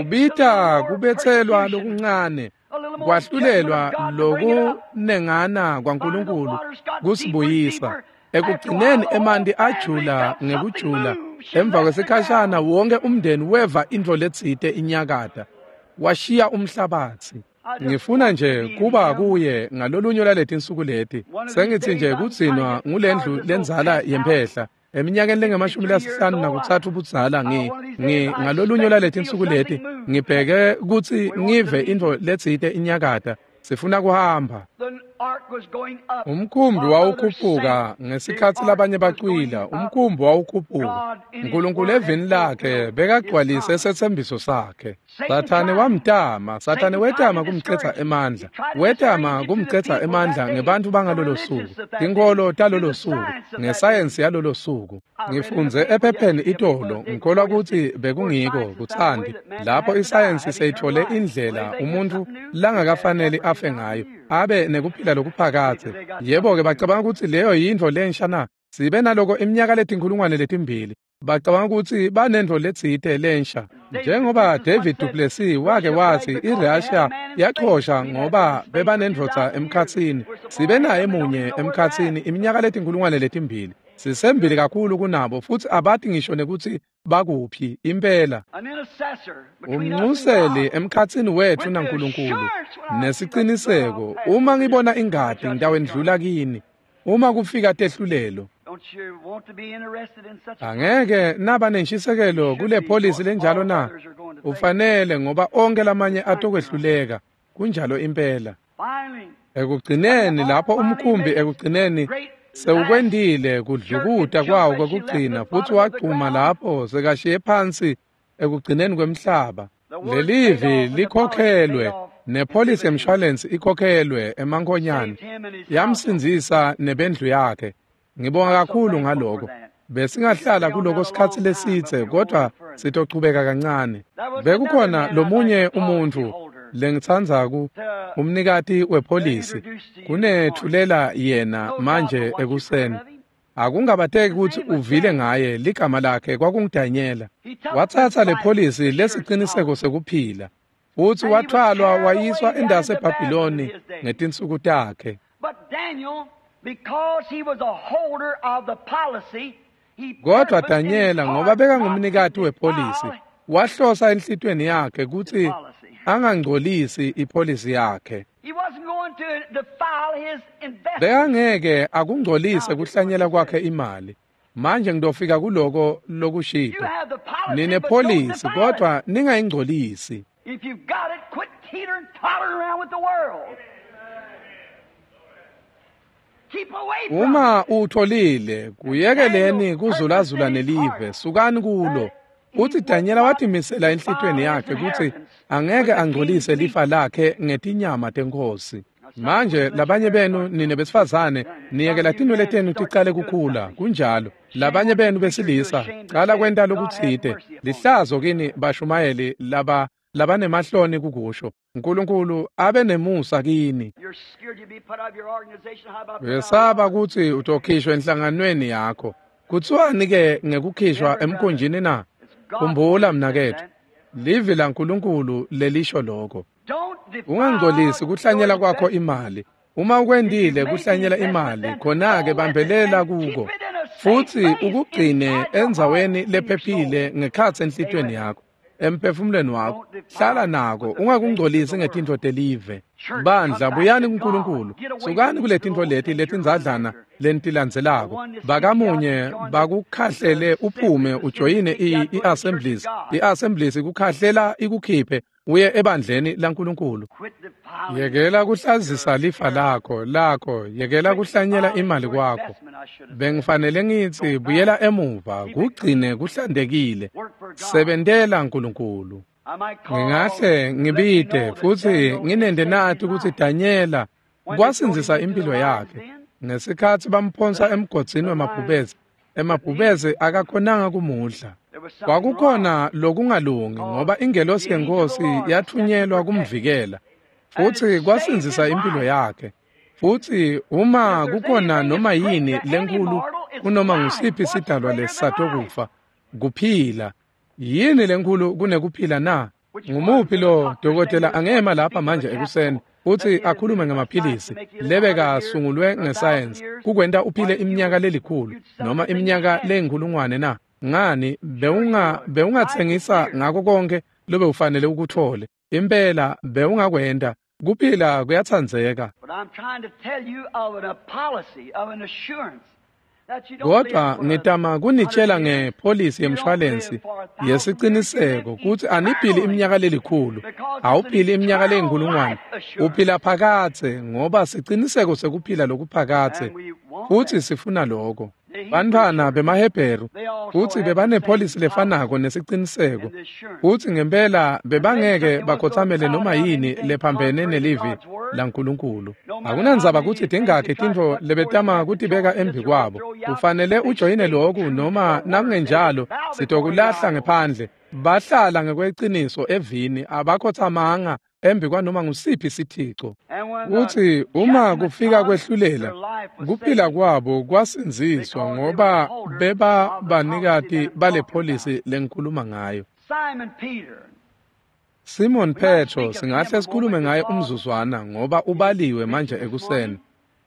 Ubita kubethelwa lokuncane kwahlulelwa lokunengana kwaNkulunkulu kusibuyisa. Ekugcineni emanti ajula ngekujula. Emva kwesikhashana wonke umndeni weva intfo letsite inyakata, washiya umhlabatsi. Ngifuna nje kuba kuye ngalolunye lwaletinsuku leti. Sengithi nje kugcinwa ngulendlu lenzala yemphehla. Eminyakeni lengemashumi lasihlanu nakutsatfu budzala ngi ngi ngalolunye lwaletinsuku leti ngibheke kutsi ngive intfo letsite inyakata. Sifuna kuhamba. Umkhumbi wawukhuphuka ngesikhatsi labanye bacwila. Umkhumbi wawukhuphuka. uNkulunkulu evini lakhe bekagcwalise setsembiso sakhe. Sathane wamtama, Sathane wetama kumcetha emandla. Wetama kumcetha emandla ngebantfu bangalolo suku, tinkholo talolo suku, ngesayensi yalolo suku. Ngifundze ephepheni itolo, ngikholwa kutsi bekungiko kutsandi lapho isayensi seyithole indlela umuntfu langakafaneli afe ngayo, abe nekuphila lokuphakadze. Yebo-ke bacabanga kutsi leyo yintfo lensha na? Sibe naloko iminyaka letinkhulungwane letimbili. Bacabanga kutsi banentfo letsite lensha. Njengoba David Duplessis wake wathi iRussia yachosha ngoba bebanendvodza emkhatsini. Sibe naye munye emkhatsini iminyaka letinkhulungwane letimbili. Sisembili kakhulu kunabo futhi abati ngisho nekutsi bakuphi impela. Umnxuseli emkhatsini wethu naNkulunkulu nesiciniseko, uma ngibona ingati ngitawendlula kini. Uma kufika tehlulelo, angeke naba nenshisekelo kule polisi lenjalo na? Ufanele, ngoba onke lamanye atokwehluleka. Kunjalo impela. Ekugcineni lapho umkhumbi ekugcineni sewukwendile kudlukuta kwawo kwekugcina futhi wagcuma lapho sekashiye phansi ekugcineni kwemhlaba. Lelivi likhokhelwe nepolisi yemshwalensi ikhokhelwe emankhonyane, yamsindzisa nebendlu yakhe. Ngibonga kakhulu ngaloko. Besingahlala kuloko sikhatsi lesitse, kodwa sitochubeka kancane. Bekukhona lomunye umuntfu lengitsandza ku umnikati wepolisi kunethulela yena manje ekuseni. Akungabateki kutsi uvile ngaye, ligama lakhe kwakunguDanyela. Watsatsa le polisi lesiciniseko sekuphila futhi wathwalwa wayiswa endase eBhabhiloni ngetinsuku takhe. Kodwa Danyela, ngoba bekangumnikati wepolisi, wahlosa enhlitiyweni yakhe kutsi angangcolisi ipolisi yakhe. Bekangeke akungcolise kuhlanyela kwakhe imali. Manje ngitofika kuloko lokushito. Ninepolisi kodwa ningayingcolisi. If you've got it, quit teetering, tottering around with the world. Keep away from Uma utholile, kuyekeleni kuzulazula nelive, sukani kulo. Uthi Danyela watimisela enhlitiyweni yakhe kutsi angeke angcolise lifa lakhe ngetinyama tenkosi. Manje labanye benu nine besifazane niyekela tinwele tenu ticale kukhula, kunjalo. Labanye benu besilisa cala kwenta lokutsite. Lihlazo kini bashumayeli laba labanemahloni kukusho. uNkulunkulu abe nemusa kini. Wesaba kutsi utokhishwa enhlanganweni yakho. Kuthiwani ke ngekukhishwa emkhunjini na? Khumbula mnaketfu, Livi laNkulunkulu lelisho lokho. Ungangcolisi kuhlanyela kwakho imali. Uma ukwendile kuhlanyela imali, khona-ke bambelela kuko futsi ukugcine endzaweni lephephile ngekhatsi enhlitiyweni yakho, emphefumulweni wakho. Hlala nako, ungakungcolisi ngetintfo telive. Bandla, buyani kuNkulunkulu. Sukani kuletintfo leti letindzadlana lentilandzelako. Bakamunye bakukhahlele uphume ujoyine i-Assemblies. I-Assemblies ikukhahlela ikukhiphe uye ebandleni laNkulunkulu. Yekela kuhlazisa lifa lakho lakho, yekela kuhlanyela imali kwakho. Bengifanele ngitsi buyela emuva, kugcine kuhlantekile. Sebentela Nkulunkulu. Ngingahle ngibite futsi nginende nati kutsi Danyela kwasindzisa impilo yakhe ngesikhatsi bamphonsa emgodzini wemabhubezi. Emabhubezi akakhonanga kumudla. Kwakukhona lokungalungi ngoba ingelosi yenkosi yathunyelwa kumvikela futsi kwasindzisa impilo yakhe. Futsi uma kukhona noma yini lenkulu kunoma ngusiphi sidalwa lesisatokufa, kuphila. Yini lenkulu kunekuphila na? Ngumuphi lo dokotela angema lapha manje ekuseni futsi akhulume ngamaphilisi lebekasungulwe ngesayensi kukwenta uphile iminyaka lelikhulu noma iminyaka leyinkhulungwane na? Ngani bewunga bewungatsengisa ngako konke lobewufanele ukuthole. Impela bewungakwenta. Kuphila kuyatsandzeka. Kodwa ngitama kunitshela ngepholisi yemshwalensi yesiciniseko kutsi aniphili iminyaka lelikhulu, awuphili iminyaka leyinkhulungwane, uphila phakadze ngoba siciniseko sekuphila lokuphakadze, futsi sifuna loko. Bantfwana bemaHebheru futsi bebanepholisi lefanako nesiciniseko, futsi ngempela bebangeke bakhotsamele noma yini lephambene nelivi laNkulunkulu. Akunandzaba kutsi tingakhi tintfo lebetama kutibeka embi kwabo. Ufanele ujoyine loku noma nakungenjalo sitokulahla ngephandle. Bahlala ngekweqiniso evini, abakhotsamanga embi kwanoma ngusiphi sithico. Kutsi uma kufika kwehlulela, kuphila kwabo kwasindziswa ngoba beba banikati bale pholisi lengikhuluma ngayo. Simon Petro singahle sikhulume ngaye umzuzwana ngoba ubaliwe manje ekuseni.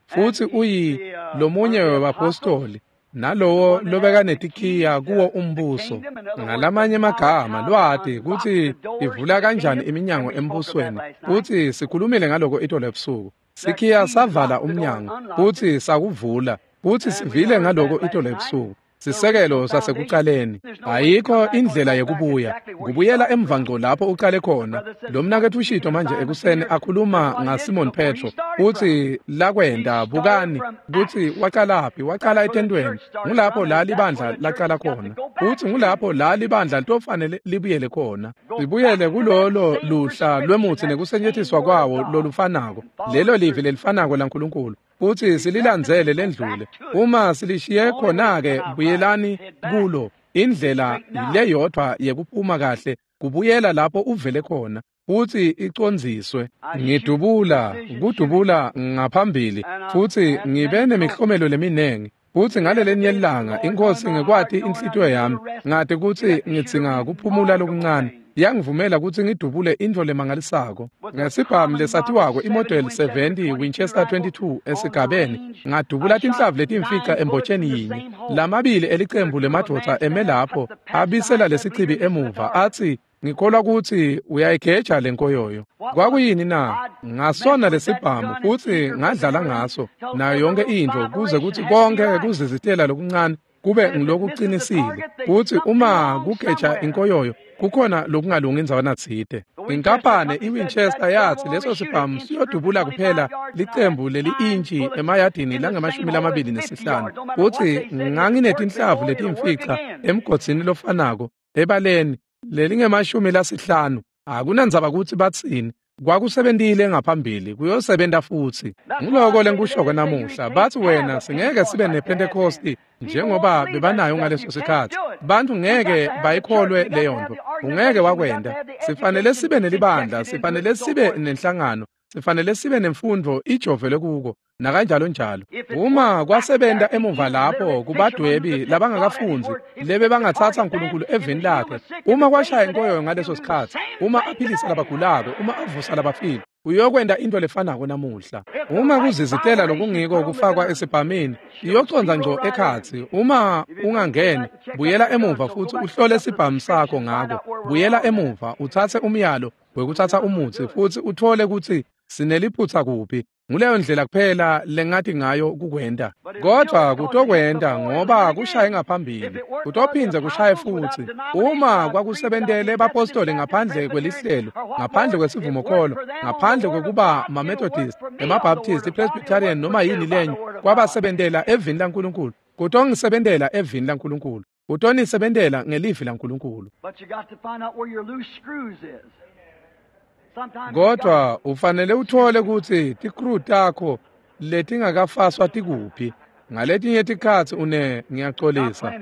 Futsi uyi lomunye webapostoli nalowo lobekanetikhiya kuwo umbuso. Ngalamanye amagama lwati kutsi ivula kanjani iminyango embusweni. Futsi sikhulumile ngaloko itolo ebusuku. Sikhiya savala umnyango futsi sakuvula, futsi sivile ngaloko itolo ebusuku. Sisekelo sasekucaleni. Ayikho indlela yekubuya. Kubuyela emva ngco lapho uqale khona. Lo mnaketfu ushito manje ekuseni akhuluma ngaSimon Petro utsi lakwenda bukani kutsi waqalaphi, waqala etentweni. Ngulapho la libandla laqala khona. Utsi ngulapho la libandla litofanele libuyele khona. Libuyele kulolo luhla lwemutsi nekusetjentiswa kwawo lolufanako. Lelo livi lelifanako laNkulunkulu. Futsi sililandzele lendlule. Uma silishiye khona-ke buyelani kulo. Indlela leyodvwa yekuphuma kahle kubuyela lapho uvele khona futsi icondziswe. Ngidubula kudubula ngaphambili futsi ngibe nemihlomelo leminengi. Futsi ngalelinye ilanga inkosi ngekwati inhlitiyo yami ngati kutsi ngidzinga kuphumula lokuncane. Yangivumela kutsi ngidubule intfo lemangalisako ngesibhamu lesatiwako iModel seventy Winchester twenty-two esigabeni. Ngadubula tinhlavu letimfica embotsheni yinye. Lamabili elicembu lemadvodza eme lapho abisela lesichibi emuva atsi ngikholwa kutsi uyayigeja lenkoyoyo. Kwakuyini na? Ngasona lesibhamu futsi ngadlala ngaso nayo yonke intfo kuze kutsi konke kuzizitela lokuncane kube ngilokuqinisile. Futsi uma kugeja inkoyoyo kukhona lokungalungi indzawana tsite. Inkampane iWinchester yathi leso sibhamu siyodubula kuphela licembu leli-intshi emayadini langamashumi lamabili nesihlanu. Futsi nganginetinhlavu letimfica emgodzini lofanako ebaleni lelingemashumi lasihlanu. Akunandzaba kutsi batsini, kwakusebentile ngaphambili kuyosebenta futsi. Nguloko lengikusho namuhla. Bathi wena singeke sibe nePentecosti njengoba bebanayo ngaleso sikhatsi. Bantu ngeke bayikholwe leyo nto. Ungeke wakwenda. Sifanele sibe nelibandla, sifanele sibe nenhlangano, Sifanele sibe nemfundvo ijovele kuko nakanjalo njalo. Uma kwasebenta emuva lapho kubadwebi labangakafundzi lebe bangatsatsa uNkulunkulu evini lakhe, uma kwashaya inkoyo ngaleso sikhatsi, uma aphilisa labagulako, uma avusa labafile, uyokwenta into lefanako namuhla. Uma kuzizitela lokungiko kufakwa esibhamini, iyoconza ngco ekhatsi. Uma ungangeni, buyela emuva futsi uhlole sibhamu sakho ngako. Buyela emuva utsatse umyalo wekutsatsa umutsi futsi uthole kutsi sineliphutsa kuphi. Nguleyo ndlela kuphela lengathi ngayo kukwenta. Kodwa kutokwenta ngoba kushaye ngaphambili, kutophindze kushaye futsi. Uma kwakusebentele bapostoli ngaphandle kwelihlelo, ngaphandle kwesivumokholo, ngaphandle kwekuba maMethodist, emaBaptist, iPresbyterian noma yini lenye, kwabasebentela evini laNkulunkulu. Kutongisebentela evini laNkulunkulu. Kutonisebentela ngelivi laNkulunkulu. Kodwa ufanele uthole kutsi tikru takho letingakafaswa tikuphi. Ngaletinye tikhatsi une ngiyaxolisa,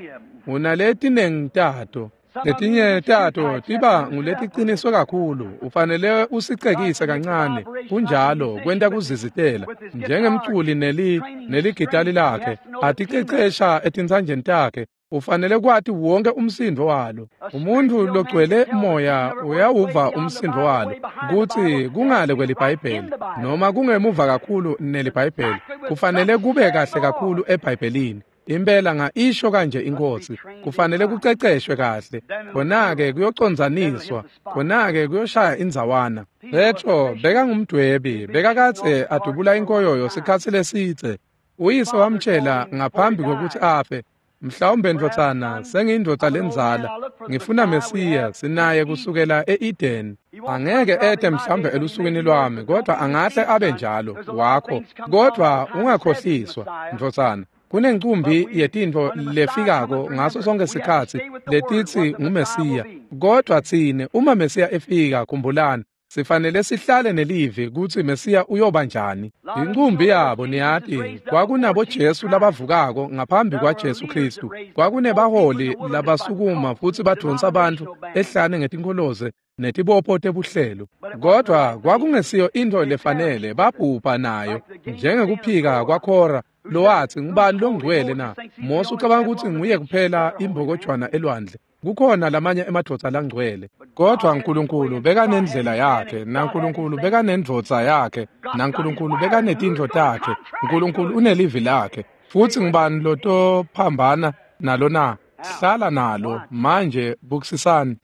unaletinengi tato. Letinye tato tiba nguletiqiniswe kakhulu, ufanele usicekise kancane. Kunjalo kwenta kuzizitela njengemculi neli neligitali lakhe aticecesha etintsanjeni takhe. Ufanele kwati wonke umsindo walo. Umuntu logcwele moya uyawuva umsindo walo kutsi kungale kweliBhayibheli noma kungemuva kakhulu neliBhayibheli. Kufanele kube kahle kakhulu eBhayibhelini. Impela ngaisho kanje inkosi, kufanele kuceceshwe kahle. Khona-ke kuyoconzaniswa, khona-ke kuyoshaya indzawana. Petro bekangumdwebi, bekakadze adubula inkoyoyo sikhatsi lesitse. Uyise wamtshela ngaphambi kwekutsi afe, mhlawumbe ndvodzana, sengiyindvodza lendzala, ngifuna Mesiya, sinaye kusukela e-Eden. Angeke ete mhlawumbe elusukwini lwami, kodwa angahle abe njalo wakho. Kodwa ungakhohliswa ndvodzana, kunencumbi yetintfo lefikako ngaso sonke sikhatsi letitsi nguMesiya. Kodwa tsine uma Mesiya efika, khumbulani, sifanele sihlale nelivi kutsi Mesiya uyoba njani. Incumbi yabo niyati, kwakunabo Jesu labavukako ngaphambi kwaJesu Kristu. Kwakunebaholi labasukuma futsi badvonsa bantfu ehlane ngetinkoloze netibopho tebuhlelo. Kodwa kwakungesiyo intfo lefanele, babhubha nayo, njengekuphika kwaKhora lowatsi ngubani longcwele na? Mose ucabanga kutsi nguye kuphela imbokojwana elwandle. Kukhona lamanye emadvodza langcwele. Kodwa uNkulunkulu bekanendlela yakhe, naNkulunkulu bekanendvodza yakhe, naNkulunkulu bekanetintfo takhe. uNkulunkulu unelivi lakhe. Futsi ngubani lotophambana nalo na? Hlala nalo. Manje bukisisani.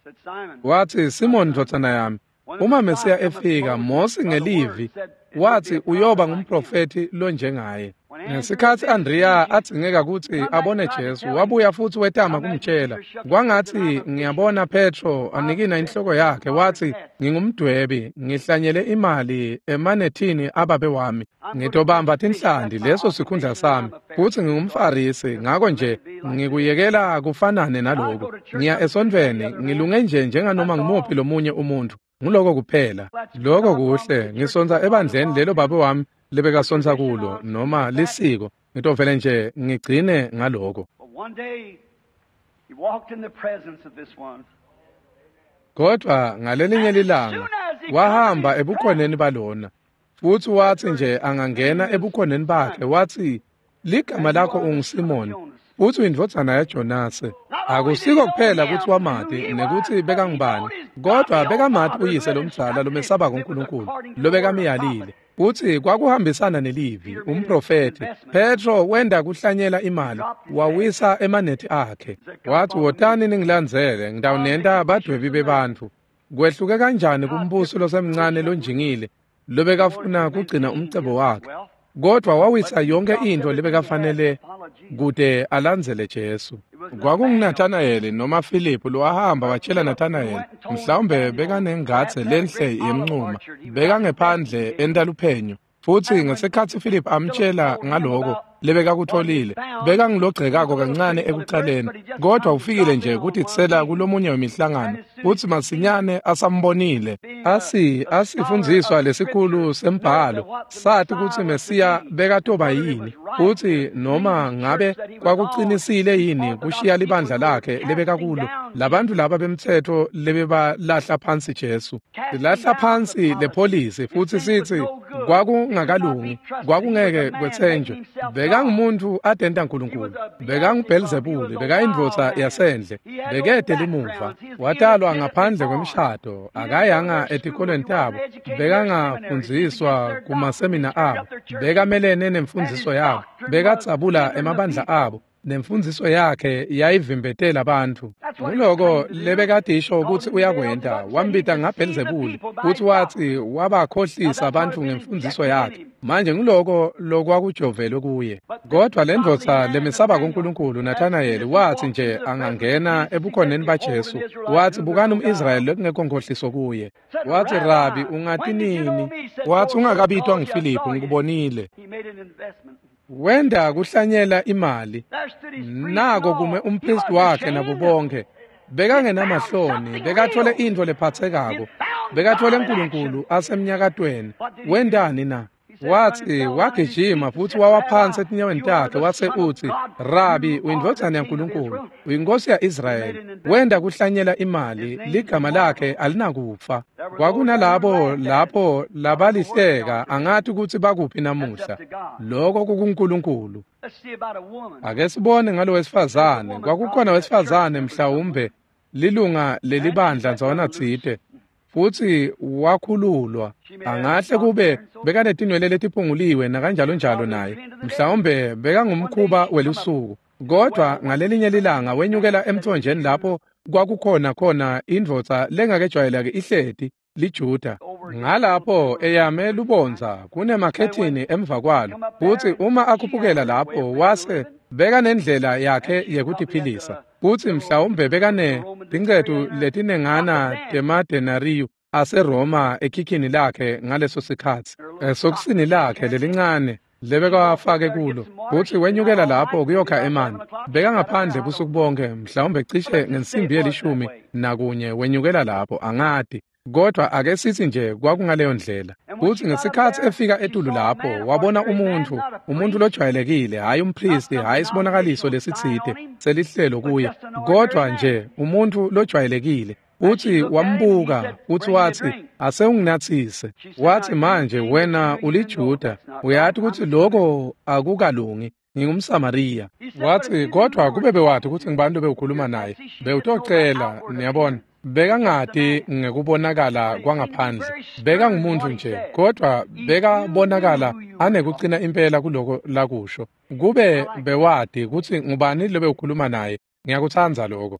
Watsi, Simon ndvodzana yami, uma Mesiya efika, Mose ngelivi watsi uyoba ngumprofethi lonjengaye. Ngesikhatsi Andrea adzingeka kutsi abone Jesu, wabuya futsi wetama kumtshela. Kwangatsi ngiyabona Petro anikina inhloko yakhe, watsi ngingumdwebi, ngihlanyele imali emanethini ababe wami, ngitobamba tinhlanti, leso sikhundla sami, futsi ngingumfarisi, ngako nje ngikuyekela kufanane naloku. Ngiya esontfweni, ngilunge nje njenganoma ngumuphi lomunye umuntfu. Nguloko kuphela. Lokho kuhle. Ngisonta ebandleni lelo babe wami lebekasonta kulo noma lisiko. Ngitovele nje ngigcine ngaloko. Kodwa ngalelinye lilanga wahamba ebukhoneni balona, futsi watsi nje angangena ebukhoneni bakhe, watsi ligama lakho unguSimon, futsi uyindvodzana yaJonase. Akusiko kuphela kutsi wamati nekutsi bekangubani, kodwa bekamati uyise lomdzala lomesabako uNkulunkulu lobekamyalile. Futsi kwakuhambisana nelivi, umprofethi. Petro wenda kuhlanyela imali, wawisa emanethi akhe. Wathi, wotani ningilandzele, ngitawunenta badwebi bebantfu. Kwehluke kanjani kumbuso losemncane lonjingile lobekafuna kugcina umcebo wakhe, kodwa wawisa yonke intfo lebekafanele kute alandzele Jesu. KwakunguNathanayeli noma Philip lowahamba watshela Nathanayeli, mhlawumbe bekanengadze lenhle yemncuma, bekangephandle entaluphenyo. Futsi ngesikhatsi Philip amtshela ngaloko, lebekakutholile. Bekangilogcekako kancane ekucaleni, kodwa ufikile nje kutitsela kulomunye wemihlangano, futsi masinyane asambonile. Asi asifundziswa lesikhulu sembhalo, sathi kutsi Mesiya bekatoba yini, futsi noma ngabe kwakucinisile yini kushiya libandla lakhe lebekakulo. Labantu laba bemtsetfo lebebalahla phansi Jesu, silahla phansi lepholisi futsi sithi kwakungakalungi, kwakungeke kwetsenjwe. Bekangumuntu adenta uNkulunkulu, bekanguBhelzebule, bekayindvodza yasendle, bekede limuva, watalwa ngaphandle kwemshado, akayanga etikolweni tabo, bekangafundziswa kumasemina abo, bekamelene nemfundziso yabo, bekadzabula emabandla abo, nemfundziso yakhe yayivimbetela bantfu. Nguloko lebekadisho ukuthi uyakwenta, wambita ngaBhelzebule, futhi wathi wabakhohlisa bantfu ngemfundziso yakhe. Manje nguloko lokwakujovelwe kuye. Kodwa le ndvodza lemisaba kuNkulunkulu Nathanayeli wathi nje angangena ebukhoneni baJesu, wathi bukani umIsrayeli lekungekho nkhohliso kuye. Wathi Rabi, ungati nini? Wathi ungakabitwa nguFiliphu, ngikubonile. Wenda kuhlanyela imali. Nako kume umpristi wakhe nabo bonke. Bekangenamahloni, bekathole intfo lephatsekako, bekathole uNkulunkulu asemnyakatweni. Wendani na? Wathi wagijima futhi wawa phansi etinyaweni takhe wase uthi, Rabi, uyindvodzana yaNkulunkulu, uyinkosi ya-Israyeli. Wenda kuhlanyela imali, ligama lakhe alinakufa. Kwakunalabo lapho labalihleka, angathi ukuthi bakuphi namuhla. Lokho kukuNkulunkulu. Ake sibone ngalo wesifazane. Kwakukhona wesifazane mhlawumbe lilunga lelibandla ndzawana tsite, futsi wakhululwa. Angahle kube bekanetinwele letiphunguliwe nakanjalo njalo naye, mhlawumbe bekangumkhuba welusuku. Kodwa ngalelinye lilanga wenyukela emthonjeni lapho kwakukhona khona indvodza lengakejwayeleki ihleti liJuda. Ngalapho eyame lubondza kunemakhethini emva kwalo, futsi uma akhuphukela lapho wase bekanendlela yakhe yekutiphilisa, futsi mhlawumbe bekane tincetu letinengana temadenariyu aseRoma ekhikhini lakhe ngaleso sikhatsi, esokisini lakhe lelincane lebekawafake kulo, futsi wenyukela lapho kuyokha emanti. Bekangaphandle busuku bonke, mhlawumbe cishe ngensimbi yelishumi nakunye wenyukela lapho, angati. Kodwa ake sithi nje kwakungaleyo ndlela. Futsi ngesikhatsi efika etulu lapho, wabona umuntfu, umuntfu lojwayelekile, hhayi umpristi, hhayi isibonakaliso lesitsite selihlelo kuye, kodwa nje umuntfu lojwayelekile. Futsi wambuka, futsi watsi, ase unginatsise. Wathi manje wena uliJuda, uyati kutsi loko akukalungi, ngingumSamariya. Wathi kodwa kube bewathi kutsi ngibani lobewukhuluma naye, bewutocela, niyabona. Bekangati ngekubonakala kwangaphandle, bekangumuntu nje, kodwa bekabonakala anekucina impela kuloko lakusho. Kube bewati kutsi ngubani lobewukhuluma naye, ngiyakutsandza lokho.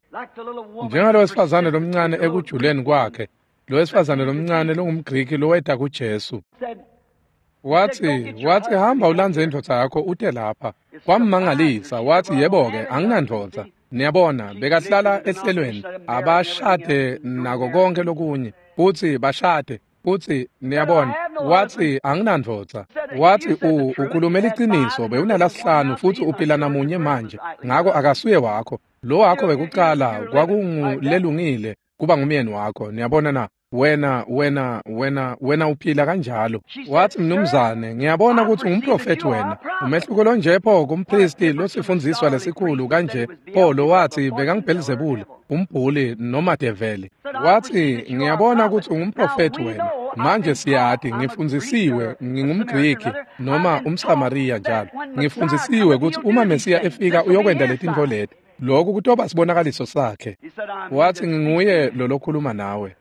Njengalo wesifazane lomncane ekujuleni kwakhe, lo wesifazane lomncane longumGriki loweta kuJesu. Wathi, wathi hamba ulandze indvodza yakho ute lapha. Kwammangalisa, wathi yebo-ke anginandvodza. Niyabona, bekahlala ehlelweni, abashade nako konke lokunye, futsi bashade, futsi niyabona, wathi anginandvodza. Wathi u ukhulumela iqiniso, bewunalasihlanu futsi uphila namunye manje, ngako akasuye wakho. Lo wakho wekucala kwakungulelungile kuba ngumyeni wakho. Niyabona na? Wena wena wena wena uphila kanjalo. Wathi mnumzane, ngiyabona ukuthi ungumprofethi wena. Umehluko lonje pho kumpristi losifundziswa lesikhulu kanje pho lo wathi bekanguBhelzebule, umbhuli noma develi. Wathi ngiyabona ukuthi ungumprofethi wena. Manje siyati, ngifundzisiwe, ngingumGriki noma umSamariya njalo. Ngifundzisiwe ukuthi uma Mesiya efika uyokwenda letintfo leti. Lokhu kutoba sibonakaliso sakhe. Wathi nginguye lo lokhuluma nawe.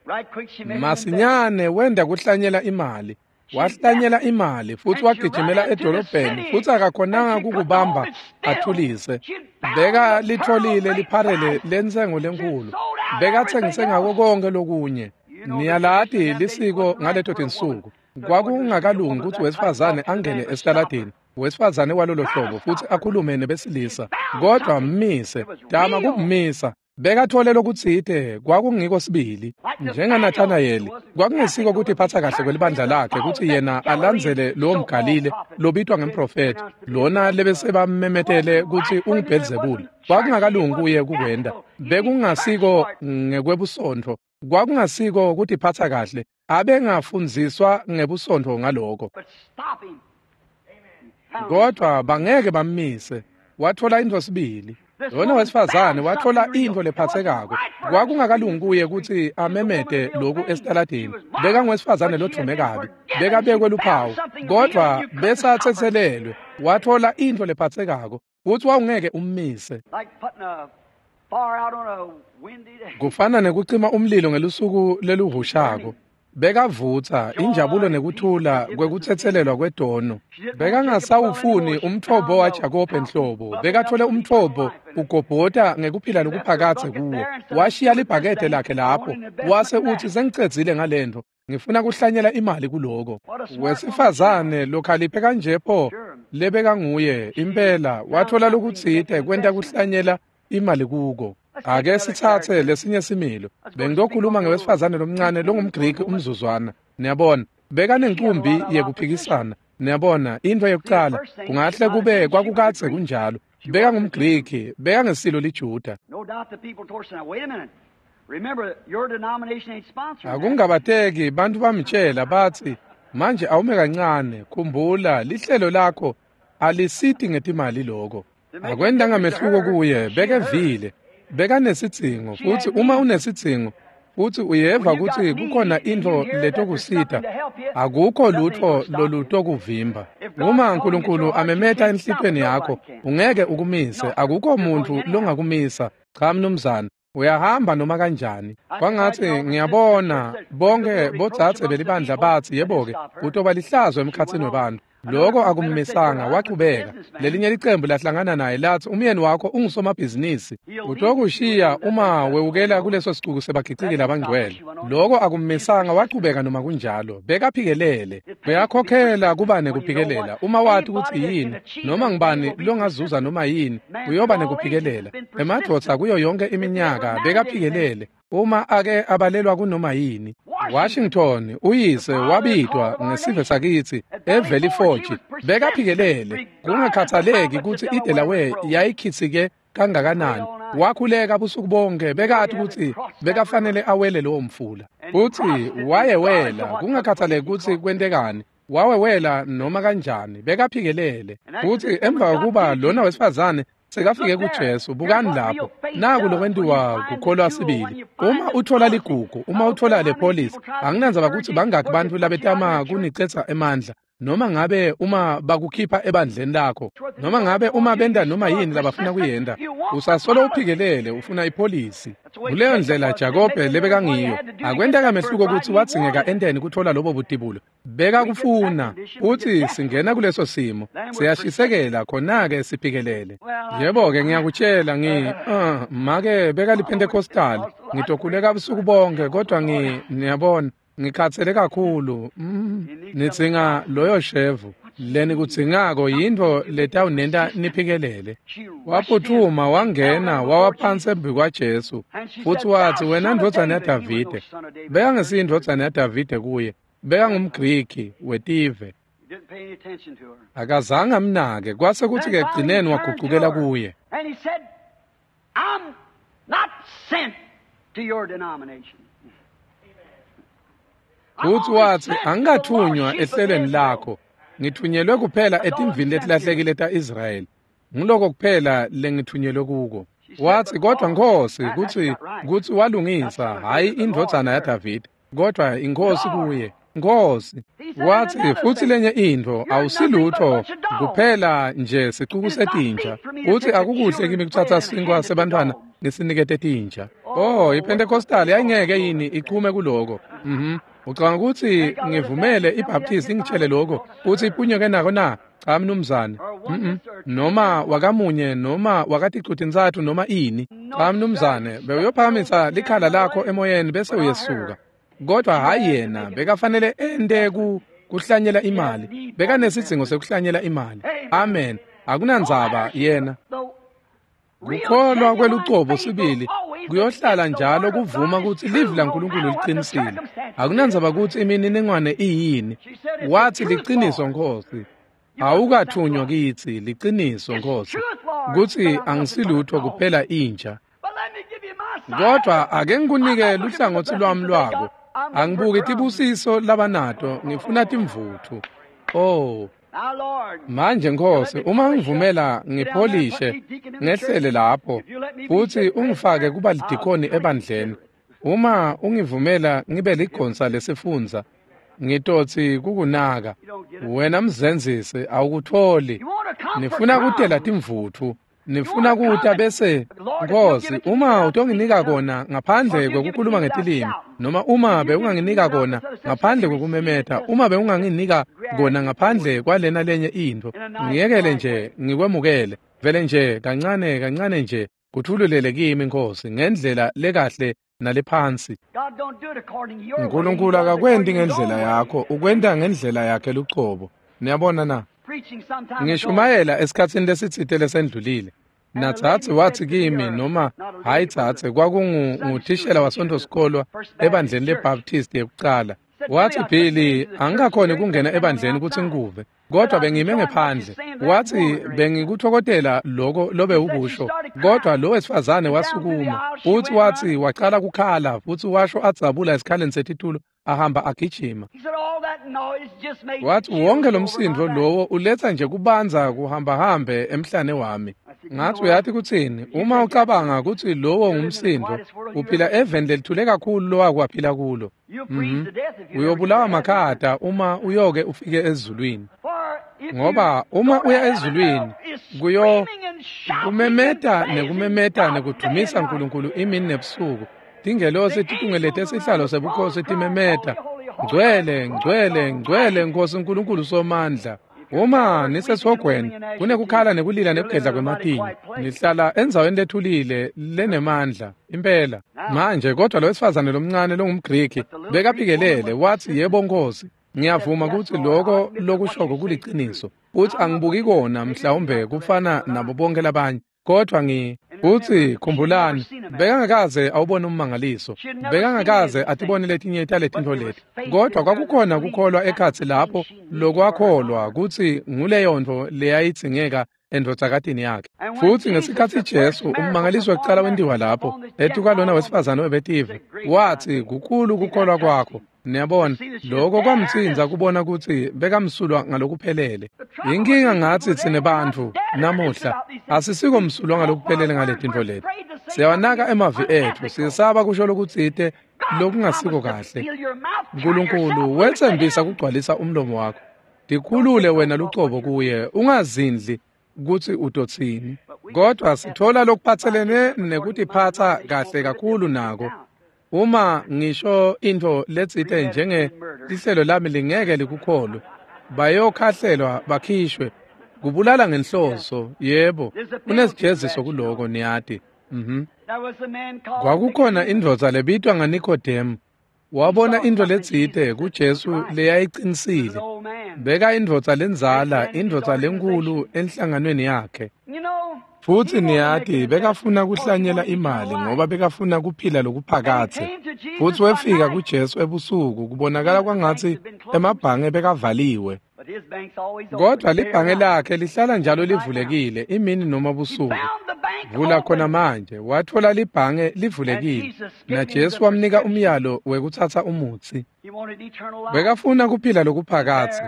Masinyane wenda kuhlanyela imali. Wahlanyela imali futhi wagijimela edolobheni futhi akakhonanga kukubamba athulise. Beka litholile lipharele lentsengo lenkulu. Bekatsengise ngako konke lokunye. Niyalati lisiko ngaleto tinsuku. Kwakungakalungi ukuthi wesifazane angene esitaladini, wesifazane walolo hlobo, futhi akhulume nebesilisa. Kodwa mmise, tama kumisa. Bekathole lokutsite kwakungiko sibili. NjengaNathanayeli, kwakungesiko kutiphatsa kahle kwelibandla lakhe kutsi yena alandzele lowo mGalile lobitwa ngemprofethi, lona lebesebammemetele kutsi unguBhelzebule. Kwakungakalungi kuye kukwenta. Bekungasiko ngekwebusontfo, kwakungasiko kutiphatsa kahle. Abengafundziswa ngebusontfo ngaloko. Kodwa bangeke bammise. Wathola intfo sibili. Lona wesifazane wathola intfo lephatsekako. Kwakungakalungi kuye kutsi amemete loku esitaladini. Bekangowesifazane lodvume kabi, bekabekwe luphawu, kodvwa besatsetselelwe. Wathola intfo lephatsekako kutsi wawungeke ummise. Kufana nekucima umlilo ngelusuku leluhushako. Bekavutsa injabulo nekuthula kwekutsetselelwa kwetono. Bekangasawufuni umtfombo waJakobe nhlobo. Bekathole umtfombo ugobhota ngekuphila lokuphakadze kuwo. Washiya libhakede lakhe lapho, wase utsi sengicedzile ngalento, ngifuna kuhlanyela imali kuloko. Wesifazane lokhaliphe kanje pho lebekanguye impela wathola lokutsite kwenta kuhlanyela imali kuko. Ake sitsatse lesinye similo. Bengitokhuluma ngewesifazane lomncane longumGriki umzuzwana. Niyabona, bekanenkumbi yekuphikisana. Niyabona, intfo yekucala kungahle kube kwakukadze kunjalo. BekangumGriki, bekangesilo liJuda. Akungabateki bantfu bamtjela batsi, manje awume kancane, khumbula lihlelo lakho alisiti ngetimali loko. Akwentanga mehluko kuye, bekevile. Bekanesidzingo, futsi uma unesidzingo futsi uyeva kutsi kukhona intfo letokusita, akukho lutfo lolutokuvimba. Uma Nkulunkulu amemeta enhlitiyweni yakho, ungeke ukumise, akukho muntfu longakumisa. Cha mnumzane, uyahamba noma kanjani. Kwangatsi ngiyabona bonke bodzadze belibandla batsi, yebo-ke, utoba lihlazo emkhatsini webantfu. Loko akummisanga, wachubeka. Lelinye licembu lahlangana naye latsi, umyeni wakho ungusomabhizinisi, utokushiya uma wewukela kuleso sicuku sebagiciki labangcwele. Loko akummisanga, wachubeka noma kunjalo. Bekaphikelele. Uyakhokhela kuba nekuphikelela. Uma wati kutsi yini, noma ngubani longazuza noma yini, uyoba nekuphikelela. Emadvodza kuyo yonke iminyaka bekaphikelele. Uma ake abalelwa kunoma yini. Washington uyise wabitwa ngesive sakitsi eValley Forge. Bekaphikelele kungakhathaleki kutsi iDelaware yayikhitsike kangakanani. Wakhuleka busuku bonke, bekati kutsi bekafanele awele lowo mfula. Futsi wayewela kungakhathaleki kutsi kwentekani. Wawewela noma kanjani, bekaphikelele. Futsi emva kokuba lona wesifazane sekafike kuJesu, bukani lapho, naku lokwentiwa kukholwa sibili. Uma uthola ligugu, uma uthola le polisi, anginandzaba kutsi bangaki bantfu labetama kunicetsa emandla, noma ngabe uma bakukhipha ebandleni lakho, noma ngabe uma benta noma yini labafuna kuyenta, usasolo uphikelele ufuna ipolisi. Kuleyo ndlela Jakobe lebekangiyo. Akwenteka mehluko kutsi wadzingeka enteni kuthola lobo butibulo. Bekakufuna. Utsi singena kuleso simo, siyashisekela khona-ke siphikelele. Yebo-ke ngiyakutshela ngi uh, make bekaliPentecostal, ngitokhuleka busuku bonke kodwa ngi niyabona ngikhathele kakhulu. Mm, nidzinga loyo shevu. Leni kudzingako yintfo letawunenta niphikelele. Waphuthuma wangena wawa phansi embi kwaJesu futsi watsi, wena ndvodzana yaDavide. Bekangesiyo indvodzana yaDavide kuye, bekangumGriki wetive. Akazange amnake, kwase kutsi-ke ekugcineni wagucukela kuye. Futsi watsi, angikathunywa ehlelweni lakho, ngithunyelwe kuphela etimvini letilahlekile ta-Israyeli. Nguloko kuphela lengithunyelwe kuko. Watsi, kodwa Nkhosi, kutsi kutsi walungisa, hhayi indvodzana yaDavide, kodwa iNkhosi kuye. Nkhosi. Watsi, futsi lenye intfo, awusilutfo kuphela nje sicuku setinja. Utsi akukuhle kimi kutsatsa sinkwa sebantfwana ngisinikete tinja. Oh, iPentecostal yayingeke yini ichume kuloko. Mhm. Ucabanga kutsi ngivumele iBaptist ingitshele lokho, utsi iphunyuke nako na? Cha mnumzane. Mhm. Noma wakamunye noma wakaticutintsatfu noma ini. Cha mnumzane, bewuyophakamisa likhala lakho emoyeni bese uyesuka. Kodwa hayi yena, bekafanele ente ku kuhlanyela imali. Bekanesidzingo sekuhlanyela imali. Amen. Akunandzaba yena. Kukholwa kwelucobo sibili Kuyohlala njalo kuvuma kutsi livi laNkulunkulu liqinisile. Akunandzaba kutsi imininingwane iyini. Wathi liciniso Nkosi. Awukathunywa kitsi liciniso Nkosi. Kutsi angisilutho kuphela inja. Kodwa ake ngikunike luhlangotsi lwami lwako. Angibuki tibusiso labanato, ngifuna timvutfu. Oh. Manje Nkosi, uma ngivumela ngipholishe ngehlele lapho futhi ungifake kuba lidikoni ebandleni. Uma ungivumela ngibe ligonsa lesifundza, ngitotsi kukunaka. Wena mzenzisi awukutholi. Nifuna kutela timvutfu. Nifuna kuta bese Nkosi, uma utonginika kona ngaphandle kwekukhuluma ngetilimi, noma uma bewunganginika kona ngaphandle kwekumemeta, uma bewunganginika kona ngaphandle kwalena lenye intfo, ngiyekele nje ngikwemukele vele nje kancane kancane nje kuthululele kimi Nkosi ngendlela lekahle nalephansi. Nkulunkulu akakwenti ngendlela yakho, ukwenta ngendlela yakhe lucobo. Niyabona na? Ngishumayela esikhatsini lesitsite lesendlulile. Natsatsi wathi kimi, noma hayi tsatse, kwakunguthishela wasonto sikolwa ebandleni leBaptist yekucala. Wathi, Billy, angikakhoni kungena ebandleni kutsi ngikuve, kodwa bengime ngephandle. Wathi, bengikuthokotela loko lobe ukusho, kodwa lo wesifazane wasukuma futhi wathi wacala kukhala futhi washo adzabula esikhaleni setitulo ahamba agijima. Wathi wonke lo msindo lowo uletha nje kubanza kuhamba hambe emhlane wami. Ngathi uyathi kuthini, uma ucabanga ukuthi lowo ngumsindo, uphila eveni lelithule kakhulu lowakwaphila kulo. Mm-hmm. Uyobulawa makhata uma uyoke ufike ezulwini. Ngoba uma uya ezulwini, kuyo kumemeta nekumemeta nekudumisa uNkulunkulu imini nebusuku. Tingelosi titungelete sihlalo sebukhosi timemeta, ngcwele, ngcwele, ngcwele Nkosi uNkulunkulu Somandla. Uma nisesihogweni, kunekukhala nekulila nekugedla kwematinyo. Nihlala endzaweni lethulile lenemandla impela. Manje kodwa lo wesifazane lomncane longumGriki bekaphikelele, wathi yebo Nkosi, ngiyavuma kutsi loko lokushoko kuliciniso. Uthi angibuki kona mhlawumbe kufana nabo bonke labanye, kodwa ngi uthi khumbulani, bekangakaze awubone ummangaliso, bekangakaze atibone letinye taletintfo leti, kodwa kwakukhona kukholwa ekhatsi lapho lokwakholwa kutsi nguleyontfo leyayidzingeka endvodzakatini yakhe. Futhi ngesikhatsi Jesu ummangaliso wekucala wentiwa lapho etukwalona wesifazane webetive, wathi kukhulu kukholwa kwakho. Niyabona, lokho kwamtsinza kubona kutsi bekamsulwa ngalokuphelele. Inkinga ngatsi tsine bantfu namuhla asisiko msulwa ngalokuphelele ngaletintfo leti. Siyawanaka emavi etfu, siyesaba kusho lokutsite lokungasiko kahle. Nkulunkulu wetsembisa kugcwalisa umlomo wakho. Tikhulule wena lucobo kuye, ungazindli kutsi utotsini. Kodwa sithola lokuphatselene nekutiphatsa kahle kakhulu nako. Uma ngisho intfo letsite njenge lihlelo lami lingeke likukholwe, bayokhahlelwa bakhishwe. Kubulala ngenhloso, yebo, kunesijeziso kuloko niyati. Mhm. Kwakukhona indvodza lebitwa ngaNikodemu. Wabona intfo letsite kuJesu leyayiqinisile. Beka indvodza lendzala, indvodza lenkulu enhlanganweni yakhe. Futhi niyati bekafuna kuhlanyela imali ngoba bekafuna kuphila lokuphakathe. Futhi wefika kuJesu ebusuku, kubonakala kwangatsi emabhange bekavaliwe. Kodwa libhange lakhe lihlala njalo livulekile imini noma busuku. Vula khona manje, wathola libhange livulekile. Na Jesu wamnika umyalo wekutsatsa umutsi. Bekafuna kuphila lokuphakathe.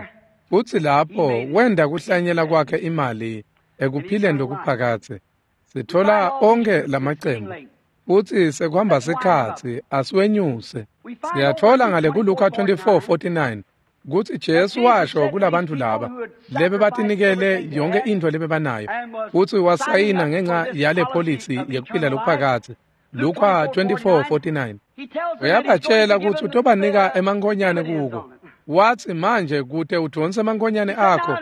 Futhi lapho wenda kuhlanyela kwakhe imali ekuphileni lokuphakathe. Sithola onke lamacembu. Futhi sekuhamba sikhatsi asiwenyuse. Siyathola ngale kuLuka twenty-four forty-nine kutsi Jesu washo kulabantu laba lebe batinikele yonke intfo lebebanayo, futsi wasayina ngenxa yale polisi yekuphila lokuphakathe. Luka twenty-four forty-nine uyabatshela kutsi utobanika emankonyane kuko. Wathi manje kute udonse emankonyane akho,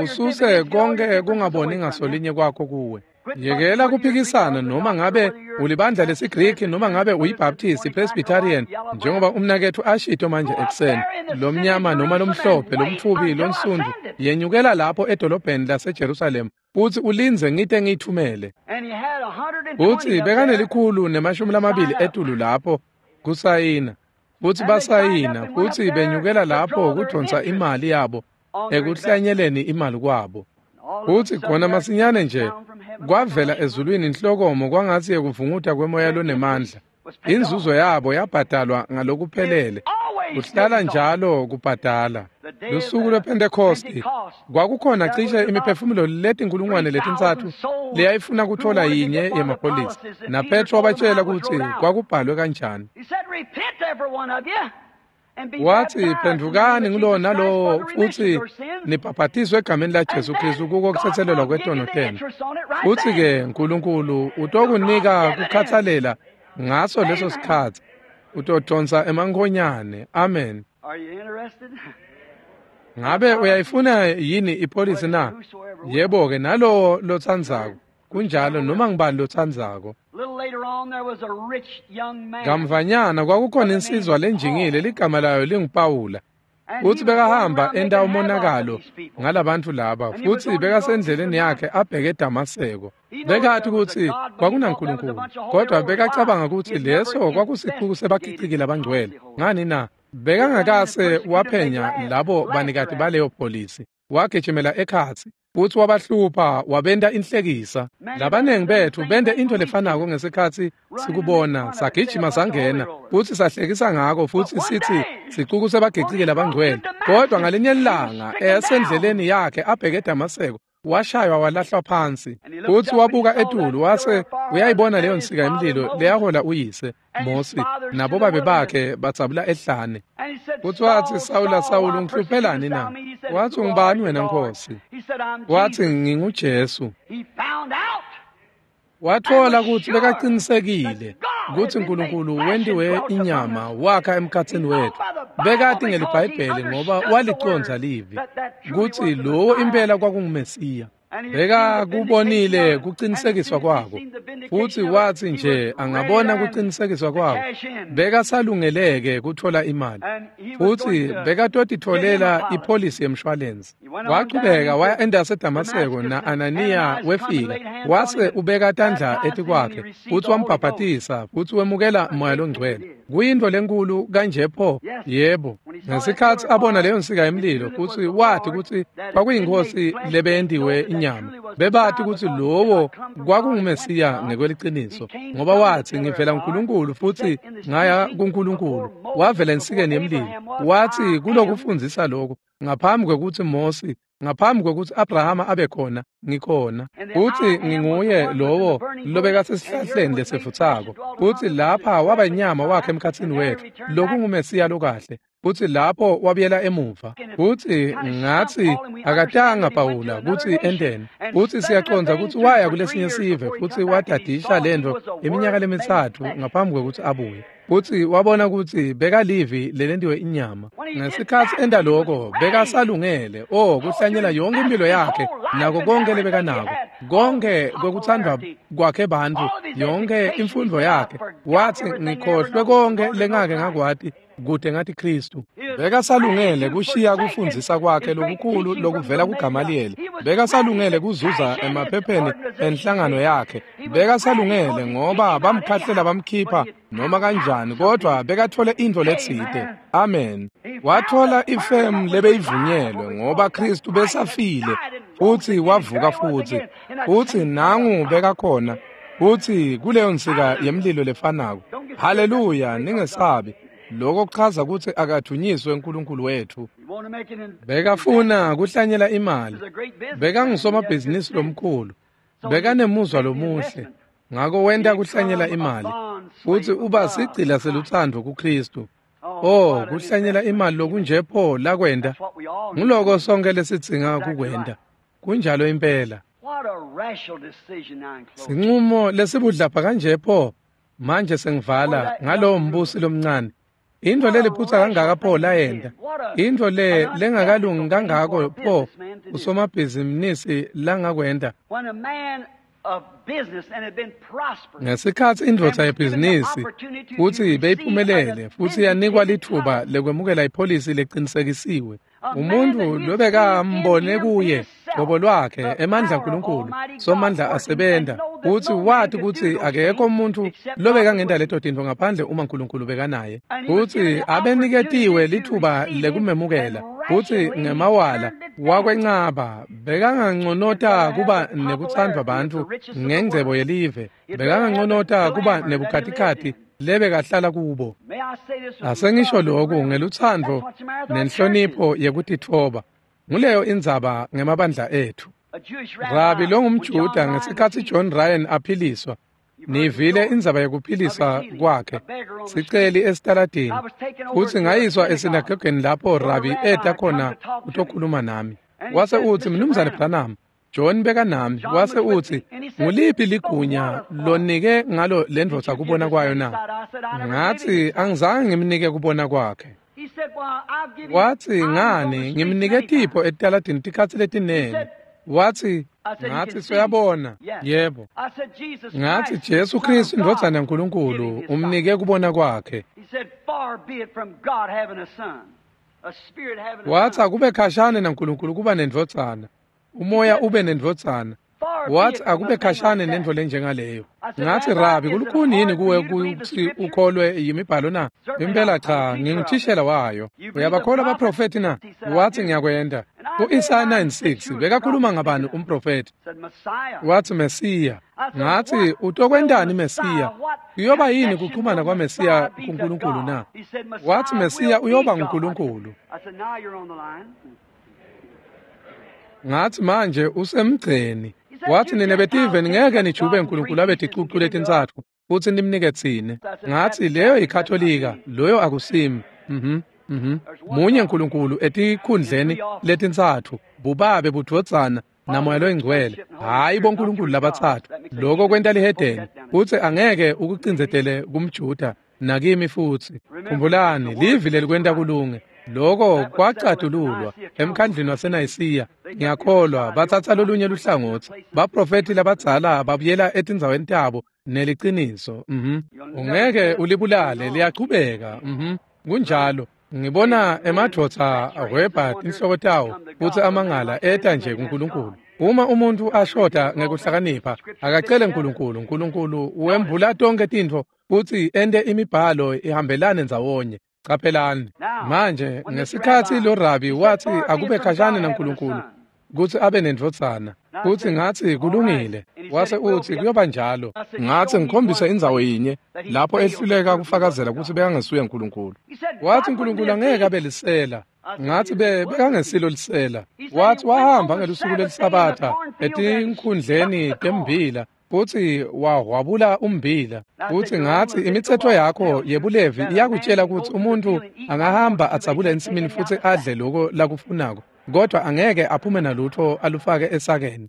ususe konke kungaboni ngasolinye kwakho kuwe. Yekela kuphikisana noma ngabe ulibandla lesiGriki noma ngabe uyiBaptist, Presbyterian, njengoba umnaketfu ashito manje ekuseni, lomnyama noma lomhlophe, lomtfubi, lonsundvu, yenyukela lapho edolobheni laseJerusalem futsi ulindze ngite ngiyithumele. Futsi bekanelikhulu nemashumi lamabili etulu lapho kusayina, futsi basayina futsi benyukela lapho kudonsa imali yabo ekuhlanyeleni imali kwabo. Futsi khona masinyane nje kwavela ezulwini inhlokomo kwangatsi yekuvunguta kwemoya lonemandla. Inzuzo yabo yabhadalwa ngalokuphelele. Kuhlala njalo kubhadala. Lusuku lwePhentekhosti kwakukhona cishe imiphefumulo letinkulungwane letintsatfu leyayifuna kuthola yinye yemapholisi, naPetro wabatshela kutsi kwakubhalwe kanjani. Wathi, phendvukani ngulowo nalowo futsi nibhaphatiswe egameni laJesu Kristu kuko kutsetselelwa kwetono tenu. Futsi-ke Nkulunkulu utokunika kukhatsalela ngaso leso sikhatsi. Utodonsa emankhonyane. Amen. Ngabe uyayifuna yini ipholisi na? Yebo-ke, nalowo lotsandzako. Kunjalo, noma ngubani lotsandzako. Kamvanyana kwakukhona insizwa lenjingile ligama layo linguPawula. Futsi bekahamba enta umonakalo ngalabantu laba, futsi bekasendleleni yakhe abheke eDamaseko. Bekati kutsi kwakunaNkulunkulu, kodwa bekacabanga kutsi leso kwakusixuku sebagiciki labangcwele. Ngani na? Bekangakase waphenya labo banikati baleyo polisi. Wagijimela ekhatsi futsi wabahlupha, wabenta inhlekisa. Labanengi betfu bente intfo lefanako ngesikhatsi sikubona, sagijima sangena futsi sahlekisa ngako futsi sitsi sicuku sebagiciki labangcwele. Kodwa ngalinye ilanga esendleleni yakhe abheke eDamaseko, washaywa walahlwa phansi. Futsi wabuka etulu wase uyayibona leyo nsika yemlilo leyahola uyise Mosi nabobabe bakhe batsabula ehlane. Futsi watsi, Sawula, Sawula, ungihluphelani na? Watsi, ungubani wena Nkosi? Watsi, nginguJesu. Wathola kutsi bekacinisekile kutsi Nkulunkulu wentiwe inyama wakha emkhatsini wetfu. Bekati ngeliBhayibheli ngoba walicondza livi kutsi lowo impela kwakunguMesiya. Bekakubonile kucinisekiswa kwako, futsi watsi nje angabona kucinisekiswa kwako, bekasalungeleke kuthola imali, futsi bekatotitfolela ipholisi yemshwalensi. Wachubeka waya endase Damaseko, na-Ananiya wefika wase ubeka tandla etikwakhe futsi wambhabhatisa futsi wemukela Moya loNgcwele. Kuyintfo lenkulu kanje pho? Yebo. Ngesikhatsi abona leyo nsika yemlilo futsi wati kutsi kwakuyinkosi lebeyentiwe inyama, bebati kutsi lowo kwakunguMesiya ngekweliciniso, ngoba watsi, ngivela kuNkulunkulu futsi ngaya kuNkulunkulu. Wavela ensikeni yemlilo. Watsi kulokufundzisa lokho, ngaphambi kwekutsi Mosi, ngaphambi kwekutsi Abrahama abe khona, ngikhona. Futsi nginguye lowo lobekasesihlahleni lesivutsako. Futsi lapha waba inyama wakhe emkhatsini wetfu, lokunguMesiya lokahle. Futsi lapho wabuyela emuva. Futsi ngatsi akatanga Pawula kutsi enteni. Futsi siyacondza kutsi waya kulesinye sive futsi wadadisha lentfo iminyaka lemitsatfu ngaphambi kwekutsi abuye. Futsi wabona kutsi bekalivi lelentiwe inyama. Ngesikhatsi enta loko, bekasalungele oh kuhlanyela yonke impilo yakhe nako konke lebekanako, konke kwekuthandwa kwakhe bantfu, yonke imfundvo yakhe. Watsi, ngikhohlwe konke lengake ngakwati kude ngathi Kristu. Bekasalungele kushiya kufundzisa kwakhe lokukhulu lokuvela kuGamaliyeli. Bekasalungele kuzuza emaphepheni enhlangano yakhe. Bekasalungele ngoba bamkhahlela bamkhipha noma kanjani, kodwa bekathole intfo letsite. Amen. Wathola ifemu lebeyivunyelwe ngoba Kristu besafile futsi wavuka futsi. Futsi nangu bekakhona futsi kuleyo nsika yemlilo lefanako. Haleluya, ningesabi. Lokho kuchaza kutsi akathunyiswe uNkulunkulu wetfu. Bekafuna kuhlanyela imali. Bekangusomabhizinisi lomkhulu. Bekanemuzwa lomuhle. Ngako wenta kuhlanyela imali. Futsi uba sigcila selutsandvo kuKristu. Oh, kuhlanyela imali lokunje pho lakwenta. Nguloko sonke lesidzinga kukwenta. Kunjalo impela. Sinqumo lesibudlapha kanje pho. Manje sengivala ngalowo mbusi lomncane. Intfo leliphutsa kangaka pho layenta. Intfo le lengakalungi kangako pho usomabhizinisi langakwenta. Ngesikhatsi indvodza yebhizinisi kutsi beyiphumelele futsi yanikwa litfuba lekwemukela ipholisi leqinisekisiwe, umuntfu lobekambone kuye qobo lwakhe emandla aNkulunkulu somandla asebenta, futsi wati kutsi akekho umuntfu lobekangenta leto tintfo ngaphandle uma uNkulunkulu bekanaye, futsi abeniketiwe litfuba lekumemukela, futsi ngemawala wakwencaba bekanganconota kuba nekutsandvwa bantfu ngengcebo yelive, bekanganconota kuba nebukhatikhathi lebekahlala kubo. Asengisho lokhu ngelutsandvo nenhlonipho yekutitfoba. Nguleyo indzaba ngemabandla ethu. Rabi longumJuda ngesikhatsi John Ryan aphiliswa, nivile indzaba yekuphilisa kwakhe, siceli esitaladini, futsi ngayiswa esinagogeni lapho Rabi eta khona kutokhuluma nami. Wase utsi, Mnumzane Branham, John bekanami, wase utsi, nguliphi ligunya lonike ngalo lendvodza kubona kwayo na? Ngatsi, angizange ngimnike kubona kwakhe. Watsi, ngani ngimnike tipho etaladini tikhatsi letinengi. Watsi, ngatsi soyabona. Yebo. Ngatsi Jesu Kristu indvodzana yaNkulunkulu umnike kubona kwakhe. Watsi akube khashane naNkulunkulu kuba nendvodzana, umoya ube nendvodzana. Watsi akube khashane nentfo lenjengaleyo. Ngatsi, Rabi, kulukhuni yini kuwe kutsi ukholwe yimibhalo na? Impela cha, nginguthishela wayo. Uyabakholwa abaprofethi na? Watsi ngiyakwenta. Ku-Isaya nine six bekakhuluma ngabani umprofethi? Watsi Mesiya. Ngatsi utokwentani Mesiya? Kuyoba yini kuxhumana kwaMesiya kuNkulunkulu na? Watsi Mesiya uyoba nguNkulunkulu. Ngatsi manje usemgceni. Watsi nine betive ningeke nijube uNkulunkulu abe ticucu letintsatfu futsi nimnike tsine. Ngatsi leyo yiKatolika, loyo akusimi. Mhm. Mhm. Munye uNkulunkulu etikhundleni letintsatfu, bubabe, budvodzana namoya loyingcwele. Hayi boNkulunkulu labatsatfu. Lokho kwenta lihedeni futsi angeke ukucindzetele kumJuda nakimi futsi. Khumbulani, livi lelikwenta kulunge. Lokho kwacatululwa emkhandlini waseNayisiya. Ngiyakholwa batsatsa lolunye luhlangotsi. Baprofethi labadzala babuyela etindzaweni tabo neliciniso. Mhm. Ungeke ulibulale, liyachubeka. Mhm. Kunjalo. Ngibona emadvodza ahwebha tinhloko tawo futsi amangala eta nje kuNkulunkulu. Uma umuntfu ashoda ngekuhlakanipha, akacele uNkulunkulu. uNkulunkulu wembula tonke tintfo futsi ente imibhalo ihambelane ndzawonye. Caphelani manje ngesikhatsi lo Rabi watsi akube khashane naNkulunkulu kutsi abe nendvodzana, futsi ngatsi kulungile. Wase utsi kuyoba njalo. Ngatsi ngikhombise indzawo yinye lapho ehluleka kufakazela kutsi bekangesuye uNkulunkulu. Watsi uNkulunkulu angeke abe lisela. Ngatsi be bekangesilo lisela. Watsi wahamba ngelusuku lelisabatha etinkhundleni tembila futsi wahwabula umbila. Futsi ngatsi imitsetfo yakho yebulevi iyakutshela kutsi umuntfu angahamba adzabule ensimini futsi adle lokho lakufunako, kodwa angeke aphume nalutho alufake esakeni.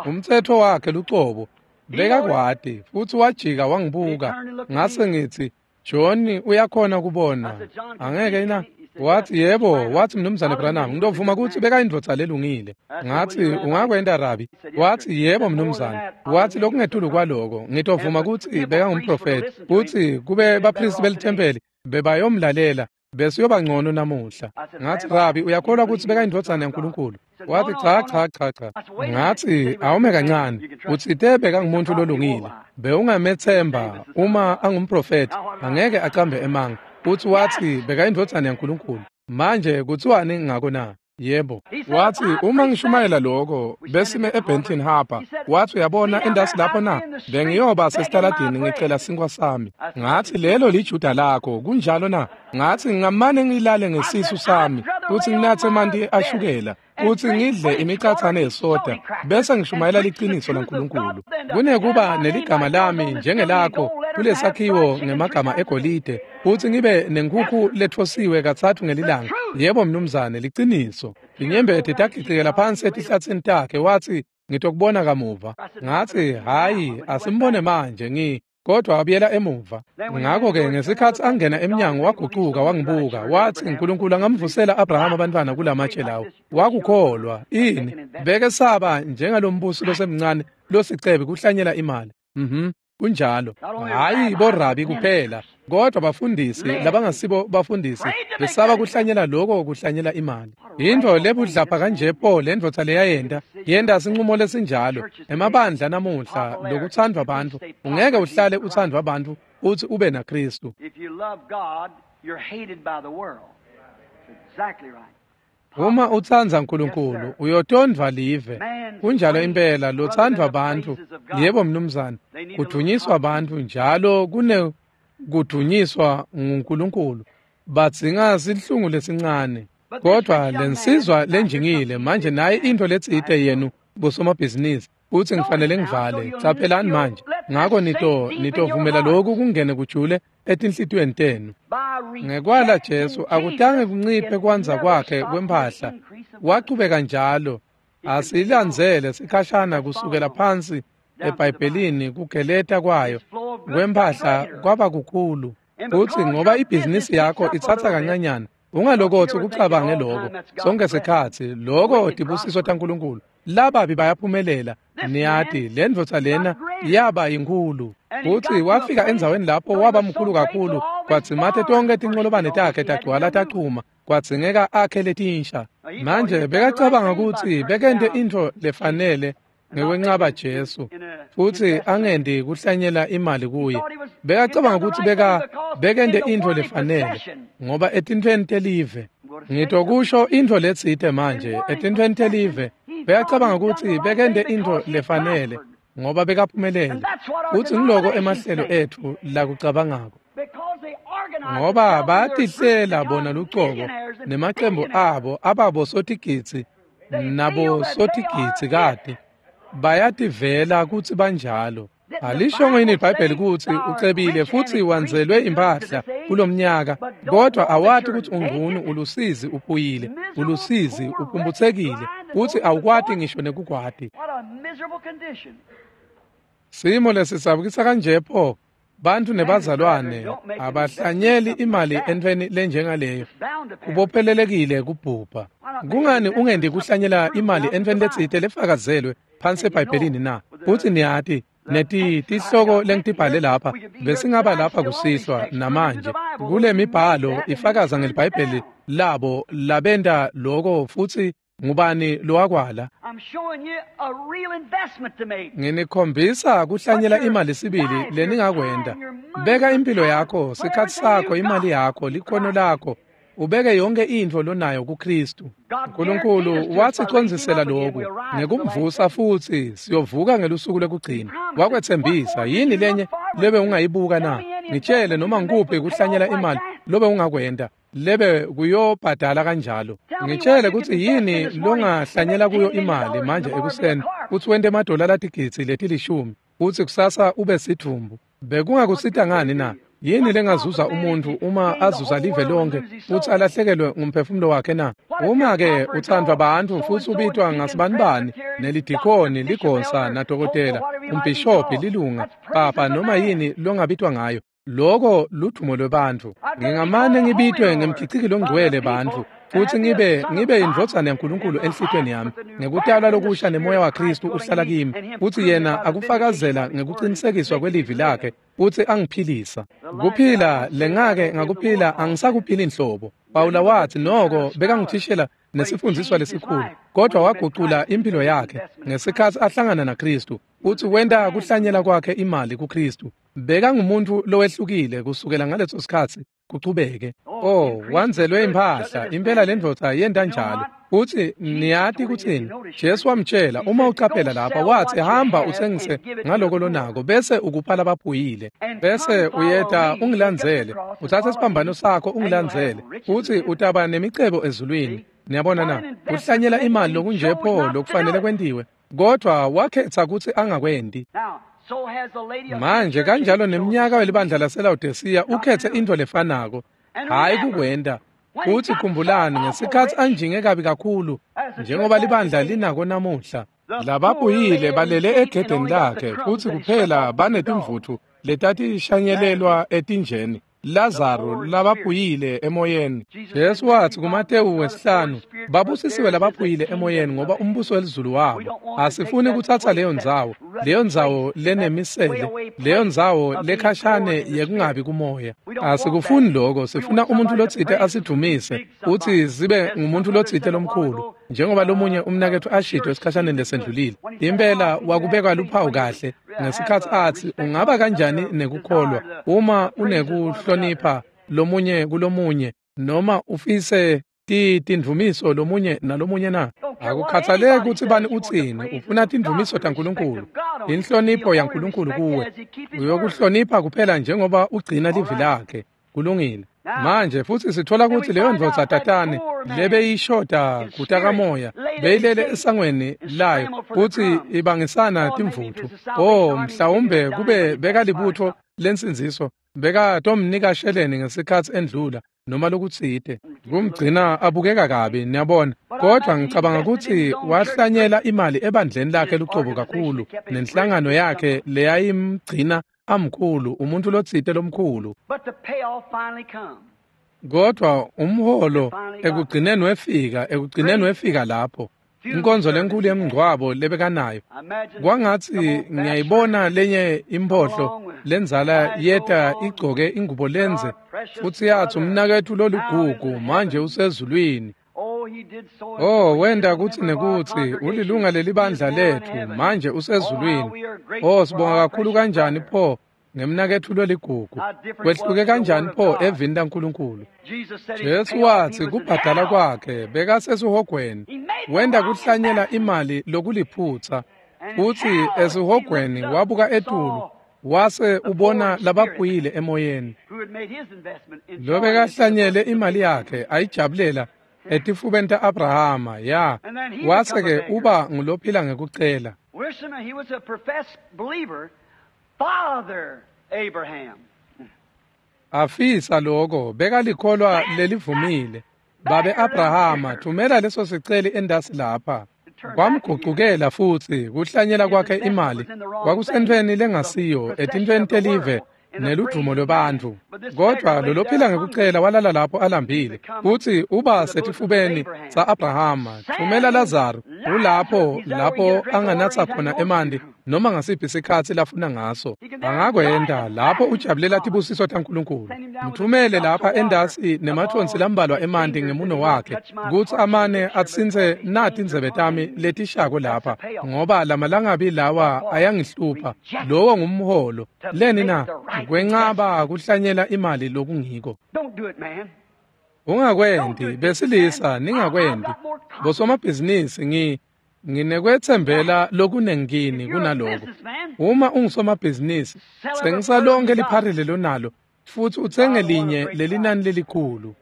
Umtsetfo wakhe lucobo bekakwati, futsi wajika wangibuka. Ngase ngitsi, John uyakhona kubona, angeke na? Watsi yebo. Watsi Mnumzane Branham, ngitovuma kutsi bekayindvodza lelungile. Ngatsi ungakwenta Rabi? Watsi yebo mnumzane. Watsi lokungetulu kwaloko ngitovuma kutsi bekangumprofethi, kutsi kube baphristi belithempeli bebayomlalela besiyoba ngcono namuhla. Ngatsi Rabi, uyakholwa kutsi bekayindvodzana yaNkulunkulu? Watsi cha cha cha cha. Ngatsi awume kancane, utsite bekangumuntu lolungile, bewungamethemba uma angumprofethi, angeke acambe emanga. Futsi watsi bekayindvodzana yaNkulunkulu. Manje kutsiwani ngako na? Yebo. Watsi uma ngishumayela lokho besime eBenton Harbor. Watsi uyabona endasi lapho na? Bengiyoba sesitaladini ngicela sinkwa sami. Ngatsi lelo liJuda lakho, kunjalo na? Ngatsi ngamane ngilale ngesisu sami futsi nginatse emanti ashukela futsi ngidle imicatsane yesoda bese ngishumayela liciniso laNkulunkulu. Kunekuba neligama lami njengelakho kulesakhiwo ngemagama egolide futsi ngibe nenkhukhu lethosiwe katsatfu ngelilanga. Yebo mnumzane, liciniso. Inyembeti tagicikela phansi etihlatsini takhe. Watsi ngitokubona kamuva. Ngatsi hayi, asimbone manje ngi kodwa wabuyela emuva. Ngakho-ke ngesikhatsi angena emnyango wagucuka wangibuka. Watsi uNkulunkulu angamvusela Abrahama abantwana kulamatshe lawo. Wakukholwa ini? Bekesaba njengalombusi losemncane losicebi kuhlanyela imali. Mhm. Kunjalo. Hayi borabi kuphela, kodwa bafundisi labangasibo bafundisi besaba kuhlanyela lokho kuhlanyela imali. Into lebudlapha kanje po lendvodza leyayenta, yenta sinqumo lesinjalo. Emabandla namuhla lokuthandwa abantu, ungeke uhlale uthandwa abantu uthi ube naKristu. If you love God, you're hated by the world. Exactly right. Uma utsandza uNkulunkulu uyotondwa live. Kunjalo impela lothandwa abantu. Yebo mnumzane, kudunyiswa abantu njalo kune kudunyiswa nguNkulunkulu. Badzinga sihlungu lesincane. Kodwa lensizwa lenjingile manje naye into letsite yenu bosomabhizinisi uthi ngifanele ngivale. Caphelani manje. Ngako nito nitovumela lokhu kungene kujule etinhlitiyweni tenu. Ngekwala Jesu akutange kunciphe kwanza kwakhe kwemphahla. Wachubeka njalo. Asilandzele sikhashana kusukela phansi eBhayibhelini kugeleta kwayo kwemphahla kwaba kukhulu. Uthi ngoba ibhizinisi yakho ithatha kancanyana, ungalokothi kucabange lokho sonke sikhatsi lokho tibusiso taNkulunkulu. Lababi bayaphumelela. Niyati lendvodza lena yaba inkulu. Uthi wafika endzaweni lapho waba mkhulu kakhulu kwadzimate tonke tinqolobane takhe tagcwala tachuma, kwadzingeka akhe letinsha. Manje bekacabanga kutsi bekente intfo lefanele ngekwenqaba Jesu futsi angendi kuhlanyela imali kuye. Bekacabanga kutsi beka bekente intfo lefanele ngoba etintfweni telive. Ngitokusho intfo letsite manje etintfweni telive. Bekacabanga kutsi bekente intfo lefanele ngoba bekaphumelele. Futsi ngiloko emahlelo etfu lakucabangako. Ngoba bayatihlela bona lucobo nemacembu abo ababo sotigitsi nabo sotigitsi kade. Bayativela kutsi banjalo. Alishongo yini iBhayibheli kutsi ucebile futsi wanzelwe impahla kulomnyaka, kodwa awati kutsi ungcunu, ulusizi, uphuyile, ulusizi, uphumphutsekile, futsi awukwati ngisho nekukwati. Simo lesisabukisa kanje pho, bantfu nebazalwane abahlanyeli imali entfweni lenjengaleyo. Kubophelelekile kubhubha. Kungani ungendi kuhlanyela imali entfweni letsite lefakazelwe phansi eBhayibhelini na? Futsi niyati neti tihloko lengitibhale lapha besingaba lapha kusihlwa namanje kule mibhalo ifakaza ngeliBhayibheli labo labenta loko futsi ngubani lowakwala. Nginikhombisa kuhlanyela imali sibili leningakwenta. Beka impilo yakho, sikhatsi sakho, imali yakho, likhono lakho, ubeke yonke intfo lonayo kuKristu. uNkulunkulu wasicondzisela lokhu ngekumvusa futsi siyovuka ngelusuku lwekugcina. Wakwetsembisa. Yini lenye lebe ungayibuka na? Ngitshele noma ngikuphi kuhlanyela imali lobe ungakwenta lebe kuyobhadala kanjalo. Ngitshele kutsi yini longahlanyela kuyo imali manje ekuseni kutsi wente emadola latigidzi letilishumi kutsi kusasa ube sidvumbu. Bekungakusita ngani na? Yini lengazuza umuntu uma azuza live lonke futsi alahlekelwe ngumphefumulo wakhe na? Uma-ke uthandwa bantfu futsi ubitwa ngasibanibani nelidikoni, ligosa, nadokotela, umbhishobhi, lilunga, papa, noma yini longabitwa ngayo, loko ludumo lwebantfu. Ngingamane ngibitwe ngemkhiciki longcwele bantfu futsi ngibe ngibe indvodzana yaNkulunkulu enhlitiyweni yami ngekutalwa lokusha nemoya waKristu uhlala kimi futsi yena akufakazela ngekucinisekiswa kwelivi lakhe futsi angiphilisa. Kuphila lengake ngakuphila angisakuphili inhlobo. Pawula wathi noko bekangithishela nesifundziswa lesikhulu, kodwa wagucula impilo yakhe ngesikhatsi ahlangana naKristu futsi wenta kuhlanyela kwakhe imali kuKristu. Bekangumuntu lowehlukile kusukela ngaleso sikhatsi kuchubeke. Oh, wanzelwe impahla impela lendvodza yenta njalo. Futsi niyati kutsini? Jesu wamtshela, uma ucaphela lapha, wathi hamba utsengise ngaloko lonako bese ukupha labaphuyile, bese uyeta ungilandzele, utsatse siphambano sakho ungilandzele, futsi utaba nemicebo ezulwini. Niyabona na? Kuhlanyela imali lokunje pho lokufanele kwentiwe, kodwa wakhetha kutsi angakwenti. Manje kanjalo neminyaka welibandla laseLawodisiya ukhethe intfo lefanako, hayi kukwenta. Futsi khumbulani ngesikhatsi anjinge kabi kakhulu njengoba libandla linako namuhla, lababuyile balele egedeni lakhe futsi kuphela banetimvutfu letatishanyelelwa etinjeni. Lazaro labaphuyile emoyeni. Jesu wathi kuMatewu wesihlanu, babusisiwe labaphuyile emoyeni ngoba umbuso welizulu wabo. Asifuni kuthatha leyo ndzawo, leyo ndzawo lenemisele, leyo ndzawo lekhashane yekungabi kumoya. Asikufuni lokho, sifuna umuntu lotsite asidumise, uthi sibe ngumuntu lotsite lomkhulu. Njengoba lomunye umnaketfu ashito esikhashaneni lesendlulile, impela wakubeka luphawu kahle ngesikhatsi atsi ungaba kanjani nekukholwa uma unekuhlonipha lomunye kulomunye noma ufise tindvumiso lomunye nalomunye na. Akukhathaleki kutsi bani utsini, ufuna tindvumiso taNkulunkulu, inhlonipho yaNkulunkulu kuwe. Uyokuhlonipha kuphela njengoba ugcina livi lakhe. Kulungile. Manje futsi sithola kutsi leyo ndvodza tatane lebeyishoda kutakamoya beyilele esangweni layo futsi ibangisana timvutfu. Oh, mhlawumbe kube bekalibutfo lensindziso bekatomnika sheleni ngesikhatsi endlula noma lokutsite kumgcina abukeka kabi, niyabona. Kodwa ngicabanga kutsi wahlanyela imali ebandleni lakhe lucobo kakhulu nenhlangano yakhe leyayimgcina amkhulu, umuntu lotsite lomkhulu. Kodwa umholo ekugcineni wefika, ekugcineni wefika lapho. Inkonzo lenkulu yemngcwabo lebekanayo. Kwangatsi ngiyayibona lenye imphohlo lenzala yeta igcoke ingubo lenze futsi yatsi umnaketfu loligugu manje usezulwini. Oh, wenda kutsi nekutsi ulilunga lelibandla letfu manje usezulwini. Oh, sibonga kakhulu kanjani pho ngemnaketfu loligugu. Kwehluke kanjani pho evini laNkulunkulu. Jesu watsi kubhadala kwakhe bekasesihogweni. Wenda kuhlanyela imali lokuliphutsa futsi esihogweni wabuka etulu wase ubona labaphuyile emoyeni. Lobekahlanyele imali yakhe ayijabulela etifubeni ta-Abrahama, ya wase-ke uba ngulophila ngekucela. Afisa loko bekalikholwa lelivumile. Babe Abrahama, thumela leso siceli endasi lapha. Kwamgucukela futsi kuhlanyela kwakhe imali kwakusentfweni lengasiyo etintfweni telive neludvumo lwebantfu. Kodwa lolophila ngekucela walala lapho alambile futsi uba setifubeni sa-Abrahama. Thumela Lazaro ulapho lapho anganatsa khona emanti noma ngasiphi sikhatsi lafuna ngaso. Angakwenta lapho ujabulela tibusiso taNkulunkulu. Mthumele lapha endasi nemathonsi lambalwa emanti ngemuno wakhe kutsi amane atsintse nati tindzebe tami letishako lapha, ngoba lamalangabi lawa ayangihlupha. Lowo ngumholo. Leni na? Kwencaba kuhlanyela imali lokungiko. Ungakwenti besilisa, ningakwenti bosomabhizinisi. Ngi nginekwetsembela lokunengini kunaloko. Uma ungusomabhizinisi, tsengisa lonke lipharile lonalo futsi utsenge linye lelinani lelikhulu.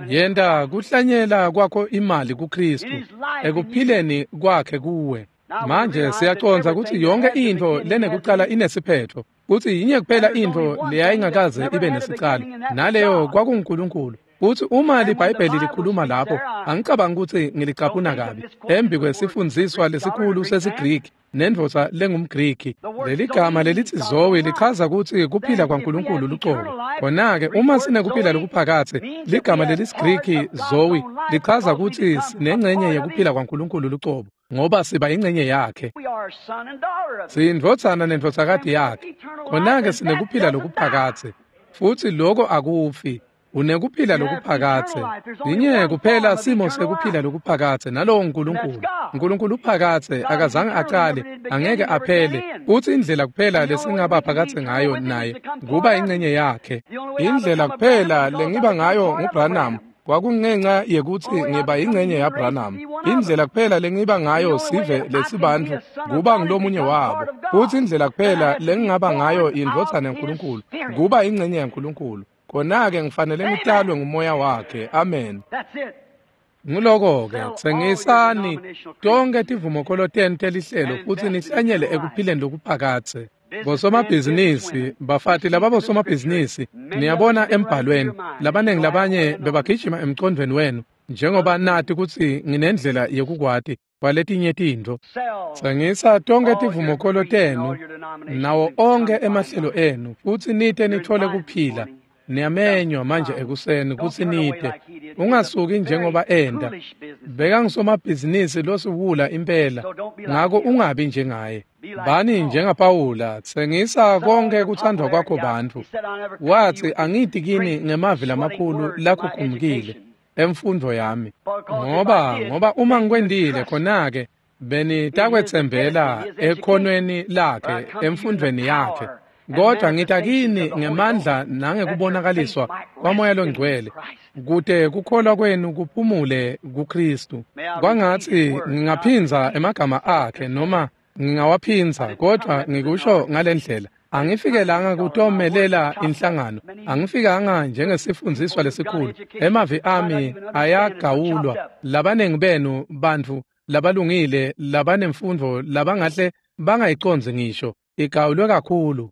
Yenta kuhlanyela kwakho imali kuKristu ekuphileni kwakhe kuwe. Manje siyacondza kutsi yonke intfo lenekucala inesiphetfo, kutsi yinye kuphela intfo leyayingakaze ibe nesicalo, naleyo kwakunguNkulunkulu. Kutsi uma liBhayibheli likhuluma lapho, angicabangi kutsi ngilicaphuna kabi, embi kwesifundziswa lesikhulu sesiGriki nendvodza lengumGriki. Leligama lelithi Zoe lichaza kutsi kuphila kwaNkulunkulu lucobo. Khona-ke uma sinekuphila lokuphakatse, ligama lelisiGriki Zoe lichaza kutsi sinencenye yekuphila kwaNkulunkulu lucobo, ngoba siba ingcenye yakhe. Siyindvodzana nendvodzakati yakhe. Khona-ke sinekuphila lokuphakatse, futsi loko akufi. Unekuphila lokuphakatse. Linye kuphela simo sekuphila lokuphakatse, nalowo nguNkulunkulu. Nkulunkulu uphakatse, akazange acale, angeke aphele. Futsi indlela kuphela lesingaba phakatse ngayo naye kuba ingcenye yakhe. Indlela kuphela lengiba ngayo nguBranham kwakungenxa yekutsi ngiba ingcenye yaBranham. Indlela kuphela lengiba ngayo sive lesibantfu kuba ngulomunye wabo. Futsi indlela kuphela lengingaba ngayo indvodzana yaNkulunkulu kuba ingcenye yaNkulunkulu. Khona-ke ngifanele ngitalwe ngumoya wakhe. Amen. Nguloko-ke, tsengisani tonke tivumokholo tenu telihlelo futsi nihlanyele ekuphileni lokuphakatse. Bosomabhizinisi, bafati lababosomabhizinisi, niyabona embhalweni, labanengi labanye bebagijima emcondvweni wenu, njengoba nati kutsi nginendlela yekukwati kwaletinye tintfo. Tsengisa tonke tivumokholo tenu nawo onkhe emahlelo enu futsi nite nitfole kuphila. Niyamenywa manje ekuseni kutsi nite. Ungasuki njengoba enda. Bekangisomabhizinisi losiwula impela, ngako ungabi njengaye. Bani njengaPawula, tsengisa konke kuthandwa kwakho bantfu. Watsi angiti kini ngemavi lamakhulu lakhukhumukile emfundvo yami, ngoba ngoba uma ngikwentile khona-ke benitakwetsembela ekhonweni lakhe emfundvweni yakhe. Kodwa ngita kini ngemandla nangekubonakaliswa kwaMoya loNgcwele, kute kukholwa kwenu kuphumule kuKristu. Kwangatsi ngingaphindza emagama akhe noma ngingawaphindza, kodwa ngikusho ngalendlela. Angifikelanga kutomelela inhlangano, angifikanga njengesifundziswa lesikhulu. Emavi ami ayagawulwa. Labanengi benu bantfu labalungile labanemfundvo labangahle bangayicondzi ngisho, igawulwe kakhulu.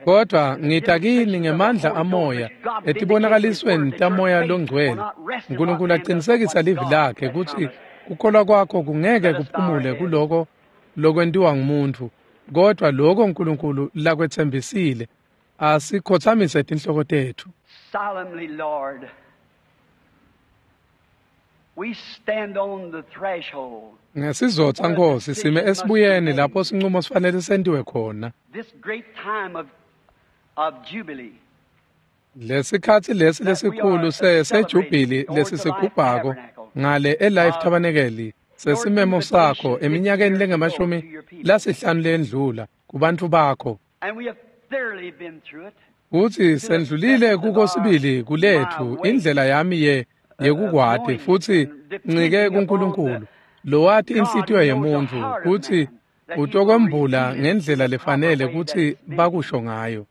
Kodwa ngita kini ngemandla amoya etibonakalisweni taMoya loNgcwele. Nkulunkulu aqinisekisa livi lakhe kutsi kukholwa kwakho kungeke kuphumule kuloko lokwentiwa ngumuntfu, kodwa lokho Nkulunkulu lakwetsembisile. Asikhotsamise tinhloko tetfu. Solemnly, Lord, we stand on the threshold. Ngesizotsa Nkosi, sime esibuyeni lapho sinqumo sifanele sentiwe khona. This great time of, of jubilee. Lesikhatsi lesi lesikhulu sejubili lesisigubhako ngale eLife Tabernacle sesimemo sakho eminyakeni lengemashumi lasihlanu lendlula kubantfu bakho. And we have thoroughly been through it. Kutsi sendlulile kuko sibili kuletfu indlela yami ye yekukwati futsi ncike kuNkulunkulu lowati inhlitiyo yemuntfu kutsi utokwembula ngendlela lefanele kutsi bakusho ngayo,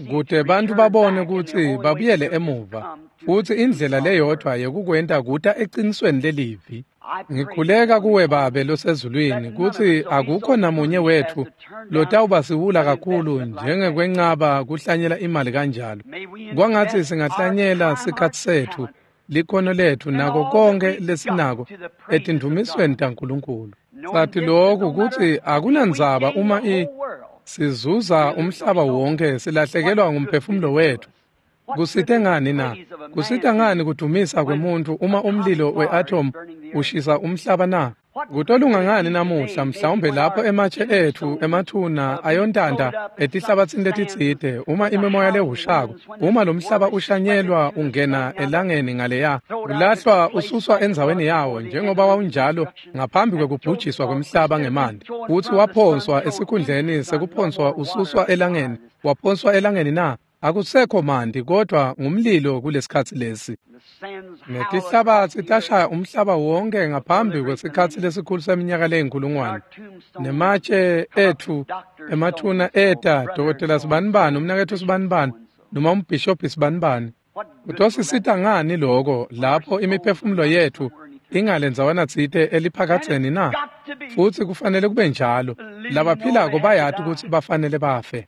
kute bantfu babone kutsi babuyele emuva futsi indlela leyodvwa yekukwenta kuta ecinisweni lelivi. Ngikhuleka kuwe Babe losezulwini kutsi akukho namunye wetfu lotawuba siwula kakhulu njengekwencaba kuhlanyela imali kanjalo. Kwangatsi singahlanyela sikhatsi setfu, likhono letfu nako konke lesinako etindumisweni taNkulunkulu. Sathi lokhu kutsi akunandzaba uma i sizuza umhlaba wonke silahlekelwa ngumphefumulo wetfu. Kusite ngani na? Kusita ngani kudumisa kwemuntfu uma umlilo we-atom ushisa umhlaba na? Kutolunga ngani namuhla mhlawumbe lapho ematshe etfu emathuna ayontanta etihlabatsini letitsite uma imimoya lehushako, uma lo mhlaba ushanyelwa ungena elangeni ngaleya, ulahlwa ususwa endzaweni yawo njengoba wawunjalo ngaphambi kwekubhujiswa kwemhlaba ngemanti, futsi waphonswa esikhundleni sekuphonswa ususwa elangeni, waphonswa elangeni na? Akusekho manti kodwa ngumlilo kulesikhatsi lesi. Netihlabatsi tashaya umhlaba wonke ngaphambi kwesikhatsi lesikhulu seminyaka leyinkulungwane. Nematshe etfu emathuna eta dokotela sibanibani, umnaketfu sibanibani, noma umbhishobhi sibanibani. Kutosisita ngani loko lapho imiphefumulo yetfu ingale ndzawana tsite eliphakatseni na? Futsi kufanele kube njalo. Labaphilako bayati kutsi bafanele bafe.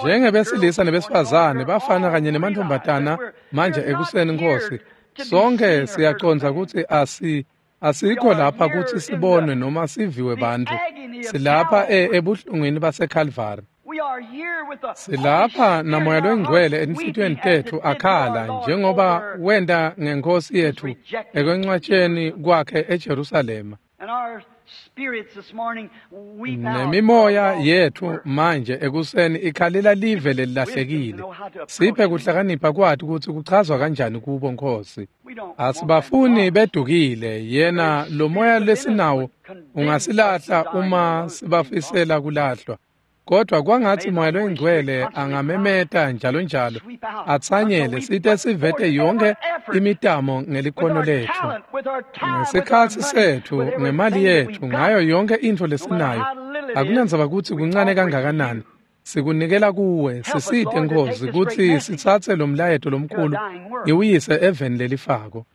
Njengebesilisa nebesifazane bafana kanye nemantfombatana manje ekuseni Nkosi, sonke siyacondza kutsi asi asikho lapha kutsi sibonwe noma siviwe bantfu. Silapha ebuhlungwini baseKalvari. Silapha naMoya loNgcwele enhlitiyweni tetfu akhala njengoba wenta ngeNkosi yetfu ekwencwatsheni kwakhe eJerusalema. Nemimoya yetfu manje ekuseni ikhalela live lelilahlekile. Siphe kuhlakanipha kwati kutsi kuchazwa kanjani kubo Nkosi. Asibafuni bedukile, yena lo moya lesinawo ungasilahla uma sibafisela kulahlwa. Kodwa kwangatsi Moya loNgcwele angamemeta njalo njalo atsanyele site sivete yonke imitamo ngelikhono letfu, ngesikhatsi setfu, ngemali yetfu, ngayo yonke intfo lesinayo. Akunandzaba kutsi kuncane kangakanani, sikunikela kuwe. Sisite Nkosi kutsi sitsatse lo mlayeto lomkhulu iwuyise eveni lelifako.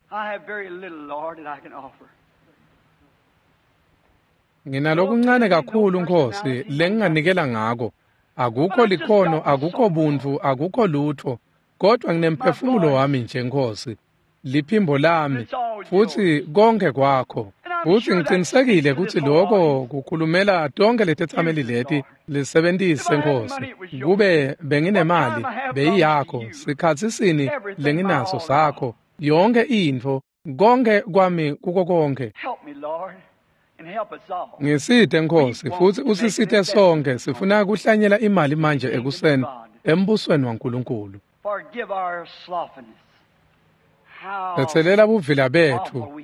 Nginalokuncane kakhulu Nkosi lenginganikela ngako. Akukho likhono, akukho buntfu, akukho lutho, kodwa nginemphefumulo wami nje Nkosi, liphimbo lami, futsi konke kwakho. Futsi ngicinisekile kutsi loko kukhulumela tonkhe letetsameli leti lisebentise Nkosi. Kube benginemali beyiyakho, sikhatsi sini lenginaso sakho, yonke intfo, konke kwami kuko konke. Ngisite Nkosi futsi usisite sonke. Sifuna kuhlanyela imali manje ekuseni embusweni waNkulunkulu. Tsetselela buvila betfu.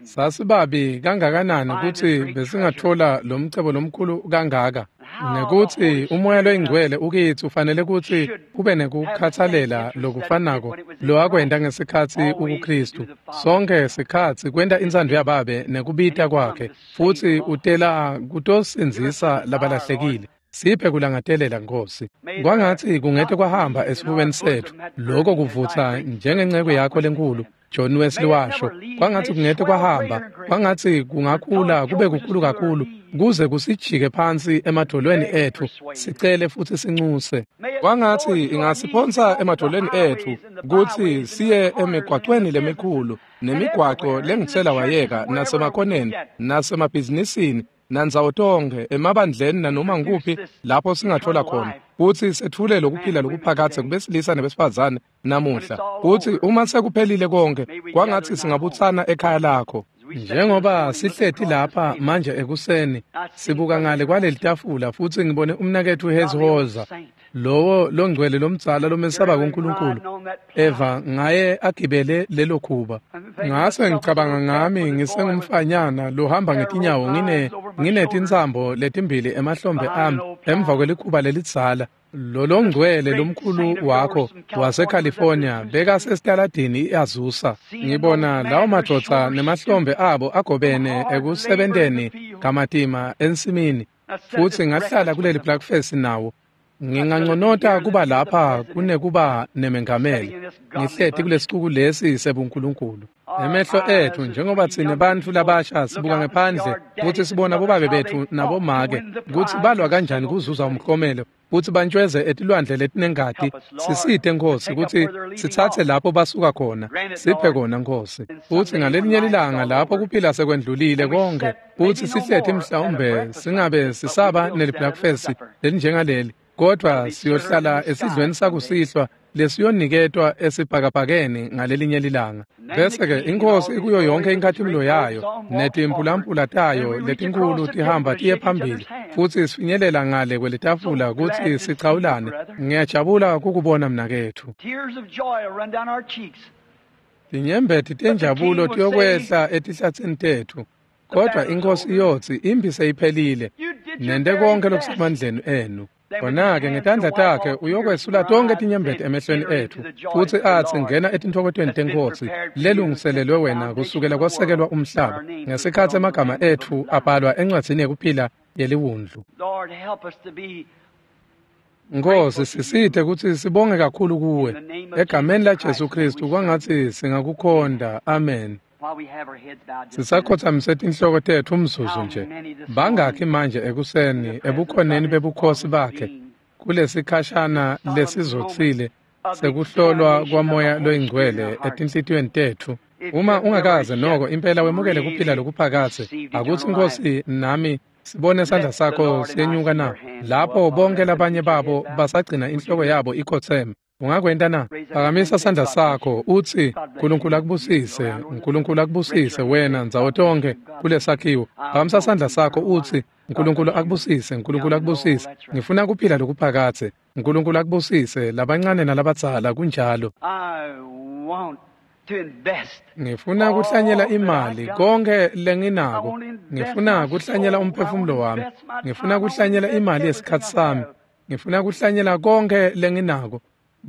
Sasibabi kangakanani kutsi besingatfola lomcebo lomkhulu kangaka, nekutsi umoya loyingcwele ukitsi ufanele kutsi ube nekukhatsalela lokufanako lowakwenta ngesikhatsi ukuKhristu. Sonke sikhatsi kwenta intsandvo yaBabe nekubita kwakhe, futsi utela kutosindzisa labalahlekile. Siphe kulangatelela Nkosi. Kwangatsi kungete kwahamba esifubeni setfu loko kuvutsa njengenceko yakho lenkulu John Wesley washo. Kwangatsi kungete kwahamba, kwangatsi kungakhula kube kukhulu kakhulu kuze kusijike phansi emadolweni etfu, sicele futsi sincuse. Kwangatsi ingasiphonsa emadolweni etfu kutsi siye emigwacweni lemikhulu nemigwaco lengitsela wayeka nasemakoneni nasemabhizinisini nandzawo tonkhe emabandleni nanoma nguphi lapho singathola khona kutsi setfule lokuphila lokuphakadze kubesilisa nebesifazane namuhla. Kutsi uma sekuphelile konke, kwangatsi singabutsana ekhaya lakho. Njengoba sihleti lapha manje ekuseni sibuka ngale kwaleli tafula futsi ngibone umnaketfu Hezhoza, lowo longcwele lomdzala lomesaba kuNkulunkulu, eva ngaye agibele lelo khuba. Ngase ngicabanga ngami ngisengumfanyana lohamba ngetinyawo ngine nginetintsambo letimbili emahlombe ami emva kwelikhuba lelidzala. Lolongcwele lomkhulu wakho waseCalifornia bekasesitaladini iAzusa. Ngibona lawo madvodza nemahlombe abo agobene ekusebenteni kamatima ensimini, futsi ngahlala kuleli breakfast nawo. Nginganconota kuba lapha kunekuba nemengameli. Ngihleti kulesicuku lesi sebuNkulunkulu. Emehlo ethu njengoba tsine bantfu labasha sibuka ngephandle kutsi sibona bobabe betfu nabomake kutsi balwa kanjani kuzuza umklomelo kutsi bantjweze etilwandle letinengati. Sisite Nkosi kutsi sitsatse lapho basuka khona, siphe kona Nkosi. Futsi ngalelinye lilanga lapho kuphila sekwendlulile konke, kutsi sihleti mhlawumbe singabe sisaba nelibreakfast lelinjengaleli, kodwa siyohlala esidlweni sakusihlwa lesiyoniketwa esibhakabhakeni ngalelinye lilanga. Bese-ke iNkosi ikuyo yonke inkhatimulo yayo netimpulampula tayo letinkulu tihamba tiye phambili, futsi sifinyelela ngale kwelitafula kutsi sichawulane. Ngiyajabula kukubona mnaketfu. Tinyembeti tenjabulo tiyokwehla etihlatsini tetfu, kodwa iNkosi iyotsi imphi seyiphelile, nente konke lokusemandleni enu. Khona-ke ngetandla takhe uyokwesula tonke tinyembeti emehlweni etfu, futsi atsi ngena etintfokotweni teNkhosi lelungiselelwe wena kusukela kwasekelwa umhlaba, ngesikhatsi emagama etfu abhalwa encwadzini yekuphila yeliwundlu. Nkosi, sisite kutsi sibonge kakhulu kuwe. Egameni laJesu Khristu kwangatsi singakukhonda. Amen. Sisakhotsamise tinhloko tetfu umzuzu nje. Bangakhi manje ekuseni ebukhoneni bebukhosi bakhe kulesikhashana lesizotsile sekuhlolwa kwamoya loyingcwele etinhlitiyweni tetfu? Uma ungakaze noko impela wemukele kuphila lokuphakadze, akutsi Nkosi nami sibone sandla sakho siyenyuka na lapho bonke labanye babo basagcina inhloko yabo ikhotseme. Ungakwenta na? Phakamisa sandla sakho utsi Nkulunkulu akubusise, Nkulunkulu akubusise wena ndzawo tonke kulesakhiwo. Phakamisa sandla sakho utsi Nkulunkulu akubusise, Nkulunkulu akubusise. Ngifuna kuphila lokuphakadze. Nkulunkulu akubusise labancane nalabadzala, kunjalo. Ngifuna kuhlanyela imali konke lenginako. Ngifuna kuhlanyela umphefumulo wami. Ngifuna kuhlanyela imali yesikhatsi sami. Ngifuna kuhlanyela konke lenginako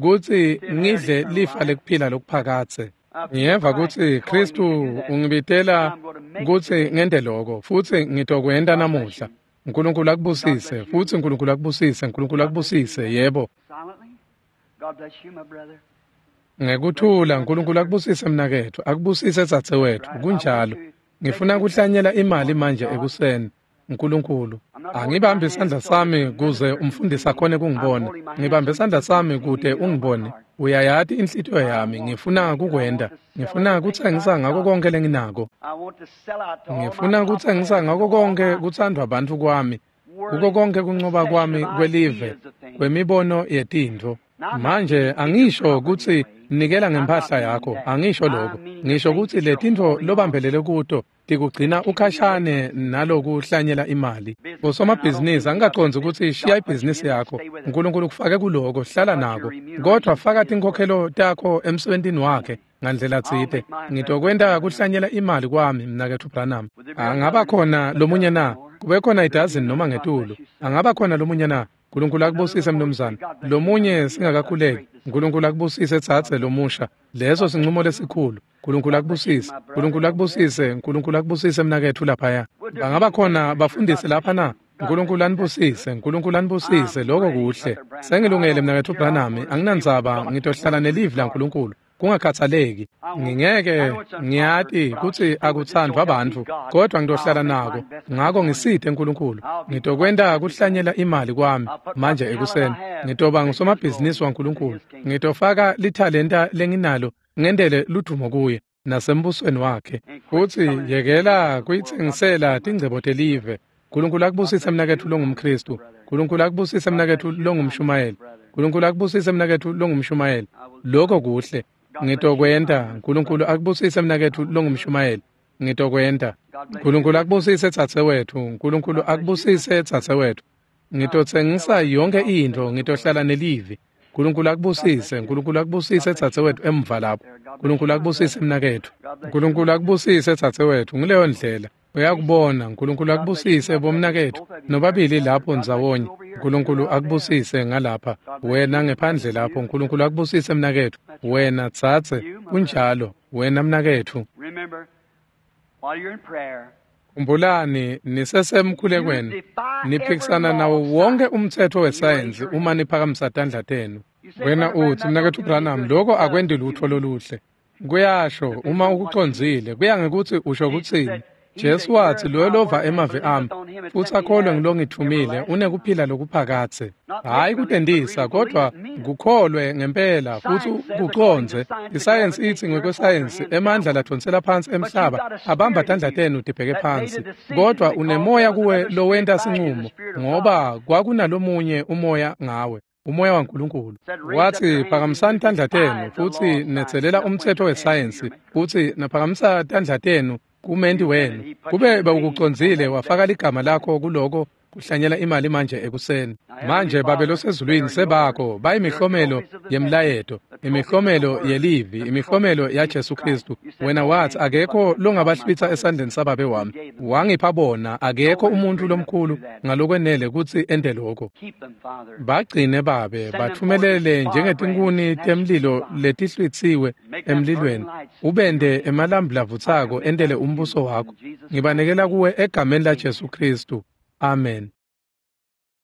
kutsi ngidle lifa lekuphila lokuphakadze. Ngiyeva kutsi Khristu ungibitela kutsi ngente loko, futsi ngitokwenta namuhla. Nkulunkulu akubusise, futsi Nkulunkulu akubusise, Nkulunkulu akubusise, yebo. Ngekuthula, Nkulunkulu akubusise mnaketfu, akubusise dzadzewetfu, kunjalo. Ngifuna kuhlanyela imali manje ekuseni. Nkulunkulu, angibambe isandla sami kuze umfundisi akhone kungibona. Ngibambe isandla sami kute ungibone. Uyayati inhlitiyo yami, ngifuna kukwenta. Ngifuna kutsengisa ngako konke lenginako. Ngifuna kutsengisa ngako konke kutsandvwa bantfu kwami, kuko konke kuncoba kwami kwelive, kwemibono yetintfo. Manje angisho kutsi nikela ngempahla yakho, angisho lokho. Ngisho kutsi letintfo lobambelele kuto tikugcina ukhashane nalokuhlanyela imali. Usomabhizinisi, angikacondzi ukuthi shiya ibhizinisi yakho. Nkulunkulu kufake kuloko, hlala nako. Kodwa faka tinkhokhelo takho emsebentini wakhe ngandlela tsite. Ngitokwenta kuhlanyela imali kwami, mnaketfu Branham. Angaba khona lomunye na? Kube khona idazini noma ngetulu. Angaba khona lomunye na? Nkulunkulu akubusise mnumzane. Lomunye singakakhuleki. Nkulunkulu akubusise tsatse lomusha. Leso sinqumo lesikhulu. Nkulunkulu akubusise. Nkulunkulu akubusise. Nkulunkulu akubusise mnaketfu laphaya. Bangaba khona bafundisi lapha na? Nkulunkulu anibusise. Nkulunkulu anibusise. Lokho kuhle. Sengilungele mnaketfu Branham. Anginandzaba, ngitohlala nelivi laNkulunkulu. Kungakhathaleki. Ngingeke ngiyati kutsi akutsandvwa bantfu, kodwa ngitohlala nako. Ngako ngisite Nkulunkulu. Ngitokwenta kuhlanyela imali kwami manje ekuseni. Ngitoba ngusomabhizinisi waNkulunkulu. Ngitofaka lithalenta lenginalo ngendele ludumo kuye nasembusweni wakhe. Futsi yekela kuyitsengisela tingcebo telive. Nkulunkulu akubusise mnaketfu longumKhristu. Nkulunkulu akubusise mnaketfu longumshumayeli. Nkulunkulu akubusise mnaketfu longumshumayeli. Lokho kuhle. Ngitokwenta. Nkulunkulu akubusise mnaketfu longumshumayeli. Ngitokwenta. Nkulunkulu akubusise dzadzewetfu. Nkulunkulu akubusise dzadzewetfu. Ngitotsengisa yonke intfo, ngitohlala nelivi. Nkulunkulu akubusise. Nkulunkulu akubusise dzadzewetfu emva lapho. Nkulunkulu akubusise mnaketfu. Nkulunkulu akubusise dzadzewetfu. Nguleyo ndlela. Uyakubona. Nkulunkulu akubusise bomnaketfu nobabili lapho ndzawonye. Nkulunkulu akubusise ngalapha. Wena ngephandle lapho. Nkulunkulu akubusise mnaketfu. Wena tsatse. Kunjalo. Wena mnaketfu. Khumbulani, nisesemkhulekweni. Niphikisana nawo wonke umtsetfo wesayensi uma niphakamisa tandla tenu. Wena utsi, mnaketfu Branham, lokho akwendi lutfo loluhle. Kuyasho uma ukucondzile, kuya ngekutsi usho kutsini. Jesu watsi, loyo lova emavi ami futsi akholwe ngilongitfumile unekuphila lokuphakadze. Hhayi kutentisa, kodwa kukholwe ngempela futsi kucondze. Isayensi itsi ngekwesayensi emandla ladvonsela phansi emhlaba abamba tandla tenu tibheke phansi. Kodwa unemoya kuwe lowenta sinqumo, ngoba kwakunalomunye umoya ngawe, umoya waNkulunkulu. Watsi, phakamisani tandla tenu futsi netselela umtsetfo wesayensi, futsi naphakamisa tandla tenu kumenti wenu. Kube bewukucondzile, wafaka ligama lakho kuloko kuhlanyela imali manje ekuseni. Manje Babe losezulwini, sebakho bayimihlomelo yemlayeto, imihlomelo yelivi, imihlomelo yaJesu Khristu. Wena watsi akekho longabahlwitsa esandleni sababe wami. Wangipha bona, akekho umuntfu lomkhulu ngalokwenele kutsi ente lokho. Bagcine Babe, batfumelele njengetinkhuni temlilo letihlwitsiwe emlilweni. Ubende emalambu lavutsako entele umbuso wakho. Ngibanikela kuwe egameni laJesu Khristu. Amen.